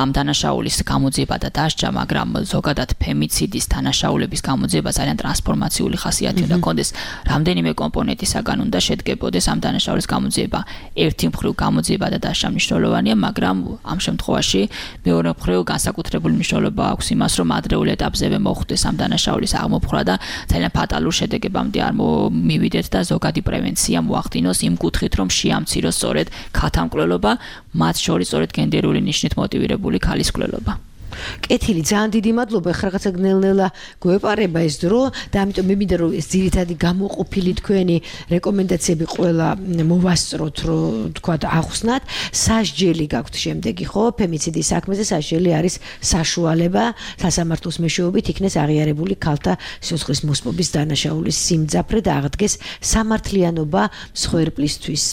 ამ დანაშაულის გამოძიება და დასჯა, მაგრამ ზოგადად ფემიციდის დანაშაულების გამოძიება ძალიან ტრანსფორმაციული ხასიათი უნდა ჰქონდეს. რამდენიმე კომპონენტისაგან უნდა შედგებოდეს ამ დანაშაულის გამოძიება. ერთი მხრივ გამოძიება და დასჯა მნიშვნელოვანია, მაგრამ ამ შემთხვევაში მეორე მხრივ განსაკუთრებული მნიშვნელობა აქვს იმას, რომ ადრეულ ეტაპზევე მოხდეს ამ დანაშაულის აღმოფხვრა და ძალიან ფატალურ შედეგებამდე არ მივიდეთ და ზოგადი პრევენცია მოახდინოს იმ კუთხით, რომ შეამციროს სწორედ ქალთა მკვლელობა, მათ შორის სწორედ გენდერული ნიშნით მოტივირებული ქალის მკვლელობა. კეთილი, ძალიან დიდი მადლობა. ხა რაღაცა გნელ-ნელა გვეპარება ეს დრო და ამიტომ მე მინდა რომ ეს ძირითადი გამოყოფილი თქვენი რეკომენდაციები ყველა მოვასწროთ, რომ თქვა ახსნათ. სასჯელი გაქვთ შემდეგი, ხო? ფემიციდის საქმეზე სასჯელი არის საშუალება სასამართლოს მეშვეობით იქნეს აღიარებული ქალთა სიცოცხლის მოსპობის დანაშაულის სიმძაფრე და აღდგეს სამართლიანობა მსხვერპლისთვის,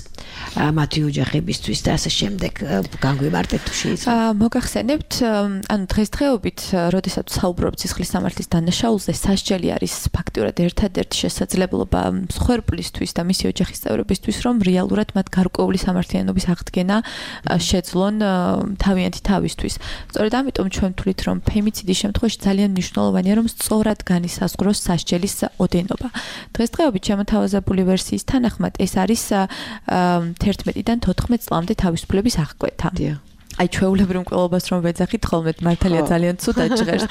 მათი ოჯახებისთვის და ასე შემდეგ. განგვიმარტეთ თუ შეიძლება. მოგახსენებთ, ანუ დღესდღეობით, როდესაც საუბრობთ სისხლის სამართლის დანაშაულზე, სასჯელი არის ფაქტიურად ერთადერთი შესაძლებლობა მსხვერპლისთვის და მისი ოჯახის წევრებისთვის, რომ რეალურად მათ გარკვეული სამართლიანობის აღდგენა შეძლონ თავიანთი თავისთვის. სწორედ ამიტომ ჩვენ ვთვლით, რომ ფემიციდის შემთხვევაში ძალიან მნიშვნელოვანია, რომ სწორად განისაზღვროს სასჯელის ოდენობა. დღესდღეობით შემოთავაზებული ვერსიის თანახმად ეს არის თერთმეტიდან თოთხმეტ წლამდე თავისუფლების აღკვეთა. აი ჩვეულებრივ მკვლელობას რომ ვეძახით ხოლმე მართალია ძალიან ცუდად ჟღერს.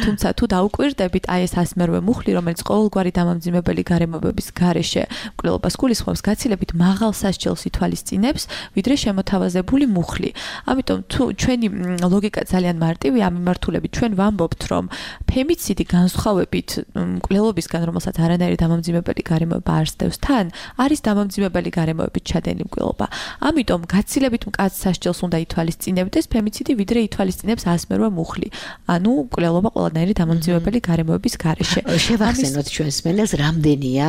თუმცა თუ დაუკვირდებით აი ეს ასმერვე მუხლი, რომელიც ყოველგვარი დამამძიმებელი გარემოებების გარეშე მკვლელობას გულისხმობს, გაცილებით მაღალ სასჯელს ითვალისწინებს, ვიდრე შემოთავაზებული მუხლი. ამიტომ თუ ჩვენი ლოგიკა ძალიან მარტივია ამ მიმართულებით, ჩვენ ვამბობთ, რომ ფემიციდი განსხვავებით მკვლელობისგან, რომელსაც არანაირი დამამძიმებელი გარემოება არ სდევს თან, არის დამამძიმებელი გარემოებით ჩადენილი მკვლელობა. ამიტომ გაცილებით მკაცრ სასჯელს უნდა ითვალისწინოს წინებდეს ფემიციდი, ვიდრე ითვალისწინებს ასმერვე მუხლი. ანუ მკვლელობა ყველანაირი დამამძიმებელი გარემოების გარეშე. შევახსენოთ ჩვენს მენელს, რამდენია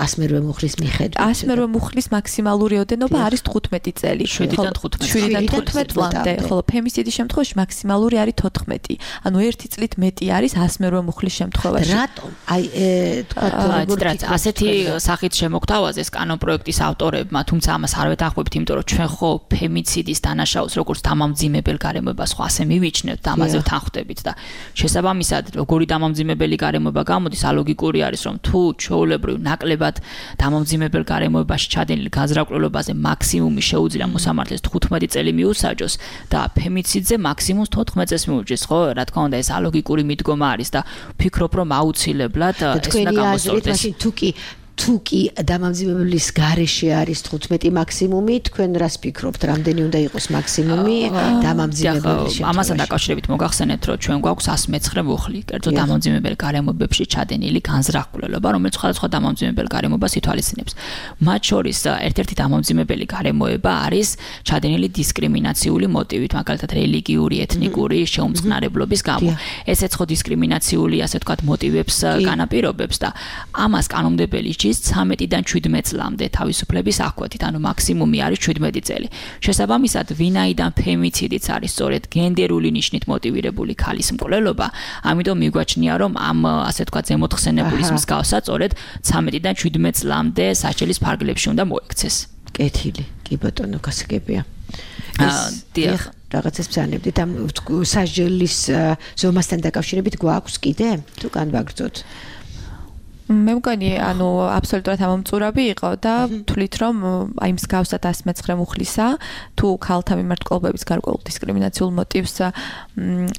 ასმერვე მუხლის მიხედვით? ასმერვე მუხლის მაქსიმალური ოდენობა არის თხუთმეტი წელი. შვიდიდან თხუთმეტი. შვიდიდან თხუთმეტ წლამდე, ხოლო ფემიციდის შემთხვევაში მაქსიმალური არის თოთხმეტი. ანუ ერთი წლით მეტი არის ასმერვე მუხლის შემთხვევაში. რატომ? აი თქვა როგორ ასეთი სახით შემოგთავაზეს კანონპროექტის ავტორებმა, თუმცა ამას არ ვეთანხმებთ, იმიტომ რომ ჩვენ ხო ფემიციდის დანაშაულს როგორც დამამძიმებელ გარემოებას ხო ასე მივიჩნევთ და ამაზე ვთანხმდებით და შესაბამისად როგორი დამამძიმებელი გარემოება გამოდის, ალოგიკური არის რომ თუ ჩვეულებრივ ნაკლებად დამამძიმებელ გარემოებაში ჩადენილ განზრაკვლელობაზე მაქსიმუმი შეუძლია მოსამართლეს თხუთმეტი წელი მიუსაჯოს და ფემიციდზე მაქსიმუმს თოთხმეტ წელს მიუჯდეს, ხო? რა თქმა უნდა ეს ალოგიკური მიდგომა არის და ვფიქრობ რომ აუცილებლად ეს უნდა გამოსწორდეს. თუ კი თუ კი დამამძიმებლის გარეშე არის თხუთმეტი მაქსიმუმი, თქვენ რას ფიქრობთ, რამდენი უნდა იყოს მაქსიმუმი დამამძიმებლის შემთხვევაში? ამასთან დაკავშირებით მოგახსენებთ, რომ ჩვენ გვაქვს one oh nine მუხლი, კერძო დამამძიმებელ გარემოებებში ჩადენილი განზრახულობა, რომელიც სხვადასხვა დამამძიმებელ გარემოებას ითვალისწინებს. მათ შორის ერთ-ერთი დამამძიმებელი გარემოება არის ჩადენილი დისკრიმინაციული მოტივით, მაგალითად რელიგიური, ეთნიკური შეუმწყნარებლობის გამო. ესეც ხო დისკრიმინაციული, ასე ვთქვათ, მოტივებს განაპირობებს და ამას კანონმდებელი ჯის ცამეტიდან შვიდმეტ წლამდე თავისუფლების აღკვეთით, ანუ მაქსიმუმი არის შვიდმეტი წელი. შესაბამისად, ვინაიდან ფემიციდიც არის სწორედ გენდერული ნიშნით მოტივირებული ქალის მკვლელობა, ამიტომ მიგვაჩნია, რომ ამ ასე ვთქვათ, ზემოთხსენებულის მსგავსად სწორედ ცამეტიდან შვიდმეტ წლამდე სასჯელის ფარგლებში უნდა მოექცეს. კეთილი, კი ბატონო, გასაგებია. დიახ, რაღაცას ბრძანებდით ამ სასჯელის ზომასთან დაკავშირებით გვაქვს კიდე? თუ განვაგრძოთ? მე მგონი, ანუ აბსოლუტურად ამომწურავი იყო და თვლით, რომ აი მსგავსად one oh nine მუხლისა, თუ ქალთა მიმართ მკვლელობების გარკვეულ დისკრიმინაციულ მოტივს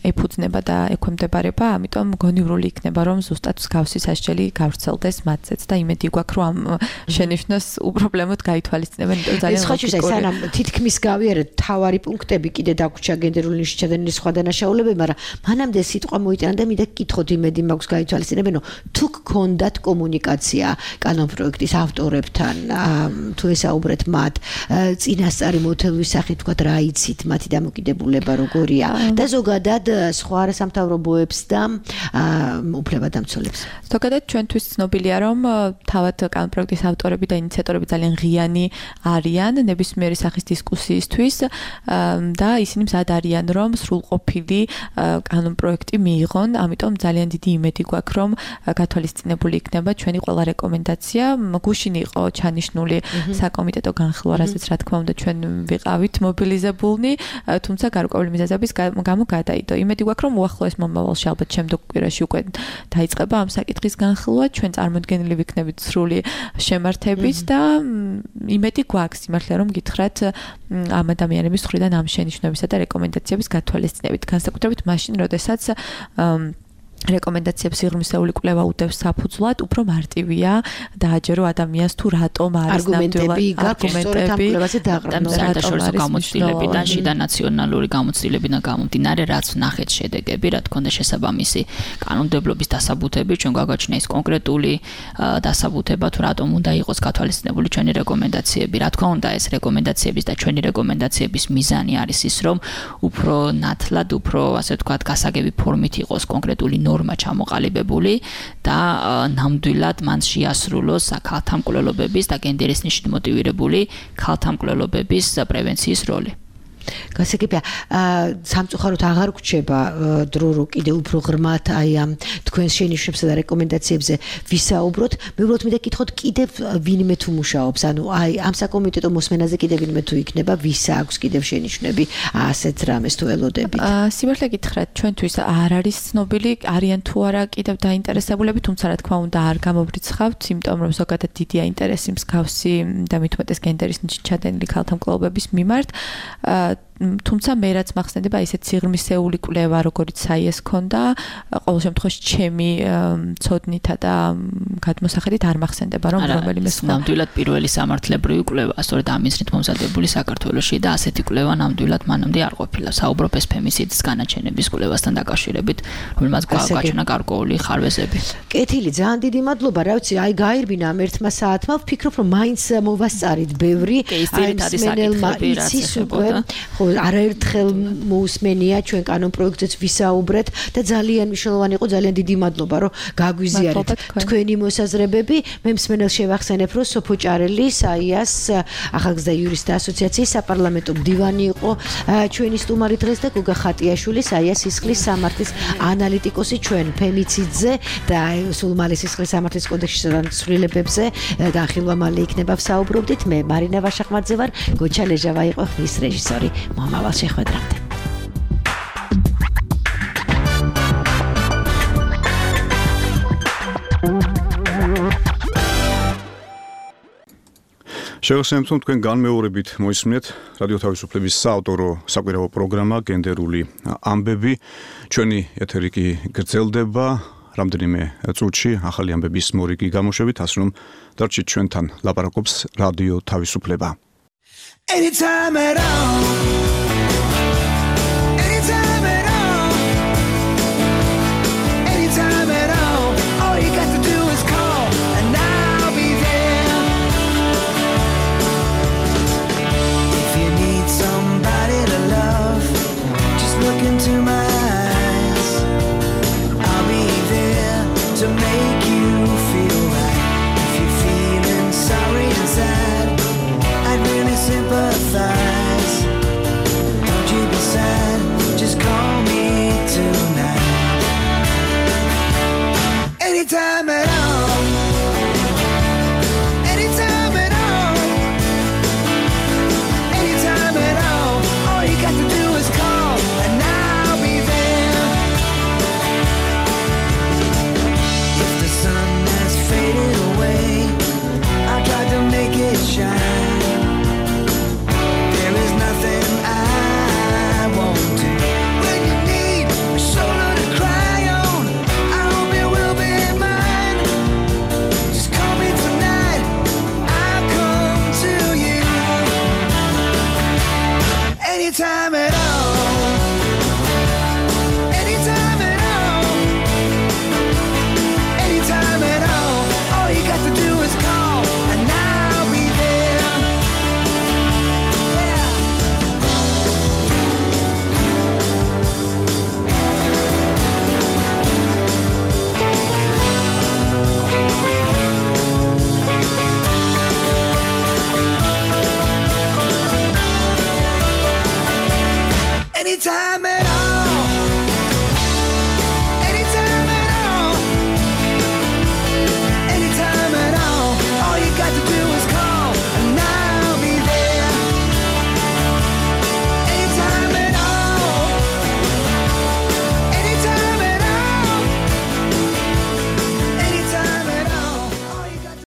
ეფუძნება და ექვემდებარება, ამიტომ გონივრული იქნება, რომ ზუსტად მსგავსი სასჯელი გავრცელდეს მათზეც და იმედი გვაქვს, რომ ამ შენიშვნას უპრობლემოდ გაითვალისწინებენ, იმიტომ ძალიან ლოგიკურია. ეს სანამ თითქმის გავიარეთ თავარი პუნქტები კიდე დაგვრჩა გენდერული ნიშნით ჩადენილი სხვა დანაშაულებები, მაგრამ მანამდე სიტყვა მოიტანა და მინდა გკითხოთ, იმედი მაქვს გაითვალისწინებენ, რომ თუ გქონდათ კომუნიკაცია კანონპროექტის ავტორებთან, თუ ესაუბრეთ მათ, წინასწარი მოთელვის სახით თქვა რა იცით, მათი დამოკიდებულება როგორია და ზოგადად სხვა არასამთავრობოებს და უფლებადამცველებს. ზოგადად ჩვენთვის ცნობილია, რომ თავად კანონპროექტის ავტორები და ინიციატორები ძალიან ღიანი არიან ნებისმიერი სახის დისკუსიისთვის და ისინი მზად არიან, რომ სრულყოფილი კანონპროექტი მიიღონ, ამიტომ ძალიან დიდი იმედი გვაქვს, რომ გათვალისწინებული იქნება ჩვენი ყველა რეკომენდაცია. გუშინ იყო ჩანიშნული საკომიტეტო განხილვა, რასაც რა თქმა უნდა ჩვენ ვიყავით მობილიზებულნი, თუმცა გარკვეული მიზეზების გამო გადაიდო. იმედი გვაქვს, რომ უახლოეს მომავალში ალბათ შემდგომ კვირაში უკვე დაიწყება ამ საკითხის განხილვა, ჩვენ წარმოდგენილი ვიქნებით სრული შემართებით და იმედი გვაქვს იმართლა რომ გითხრათ ამ ადამიანების მხრიდან ამ შენიშვნებისა და რეკომენდაციების გათვალისწინებით, განსაკუთრებით მაშინ, როდესაც რეკომენდაციებს სიღრმისეული კვლევა უდევს საფუძვლად, უფრო მარტივია დააჯერო ადამიანს თუ რატომ არის არგუმენტები არგუმენტები საერთაშორისო გამოცდილებიდან, შიდა ნაციონალური გამოცდილებიდან გამომდინარე, რაც ნახეთ შედეგები, რა თქმა უნდა შესაბამისი კანონმდებლობის დასაბუთები, ჩვენ გვაგვაჩნია ის კონკრეტული დასაბუთება თუ რატომ უნდა იყოს გათვალისწინებული ჩვენი რეკომენდაციები. რა თქმა უნდა, ეს რეკომენდაციების და ჩვენი რეკომენდაციების მიზანი არის ის, რომ უფრო ნათლად, უფრო ასე ვთქვათ, გასაგები ფორმით იყოს კონკრეტული ნორმა ჩამოყალიბებული და ნამდვილად მან შეასრულოს ქალთა მკვლელობების და გენდერის ნიშნით მოტივირებული ქალთა მკვლელობების პრევენციის როლი. გასაგებია, სამწუხაროდ აღარ გვჩება დრო რო კიდე უფრო ღრმად აი ამ თქვენს შენიშვნებსა და რეკომენდაციებზე ვისაუბროთ. მე უბრალოდ მინდა გითხოთ, კიდევ ვინმე თუ მუშაობს, ანუ აი ამ საკომიტეტო მოსმენაზე კიდევ ვინმე თუ იქნება, ვის აქვს კიდევ შენიშვნები ასეთ რამეს თუ ელოდებით? სიმართლე გითხრათ, ჩვენთვის არ არის ცნობილი, არიან თუ არა კიდევ დაინტერესებულები, თუმცა რა თქმა უნდა არ გამოვრიცხავთ, იმიტომ რომ ზოგადად დიდია ინტერესი მსგავსი და მით უმეტეს გენდერის ნიშნით ჩადენილი ქალთა მკვლელობების მიმართ. თუმცა მე რაც მახსენდება ისეთ სიღრმისეული კვლევა, როგორც საიეს ქონდა, ყოველ შემთხვევაში ჩემი ცოდნითა და გადმოსახედით არ მახსენდება, რომ რომელიმე ნამდვილად პირველი სამართლებრივი კვლევა, სწორედ ამ მიზნით მომზადებული საქართველოში და ასეთი კვლევა ნამდვილად მანამდე არ ყოფილა. საუბრობ ეს ფემიციდის განაჩენების კვლევასთან დაკავშირებით, რომელმაც გააჩვენა გარკვეული ხარვეზები. კეთილი, ძალიან დიდი მადლობა, რა ვიცი, აი გაირბინა ამ ერთმა საათმა, ვფიქრობ, რომ მაინც მოვასწარით ბევრი, აი მენელმა იცის უკვე არაერთხელ მოусმენია ჩვენ კანონპროექტზეც ვისაუბრეთ და ძალიან მნიშვნელოვანი იყო, ძალიან დიდი მადლობა, რომ გაგვიზიარეთ თქვენი მოსაზრებები. მე მსმენელს შევახსენებ, რომ სოფო ჭარელი, საიას ახალგაზრდა იურისტთა ასოციაციის საპარლამენტო მდივანი იყო ჩვენი სტუმარი დღეს და გოგა ხატიაშვილი, საიას სისხლის სამართლის ანალიტიკოსი ჩვენ ფემიციდზე და სულ მალე სისხლის სამართლის კოდექსის ცვლილებებზე განხილვა მალე იქნება ვსაუბრობდით. მე მარინა ვაშახმაძე ვარ, გოჩა ლეჟავა იყო ხმის რეჟისორი. მომავალ შეხვედრამდე. შევახსენებთ, რომ თქვენ განმეორებით მოისმინეთ რადიო თავისუფლების საავტორო საკვირაო პროგრამა გენდერული ამბები. ჩვენი ეთერი კი გრძელდება. რამდენიმე წუთში ახალი ამბების მორიგი გამოშვებით, ასე რომ დარჩით ჩვენთან, ლაპარაკობს რადიო თავისუფლება. Anytime at all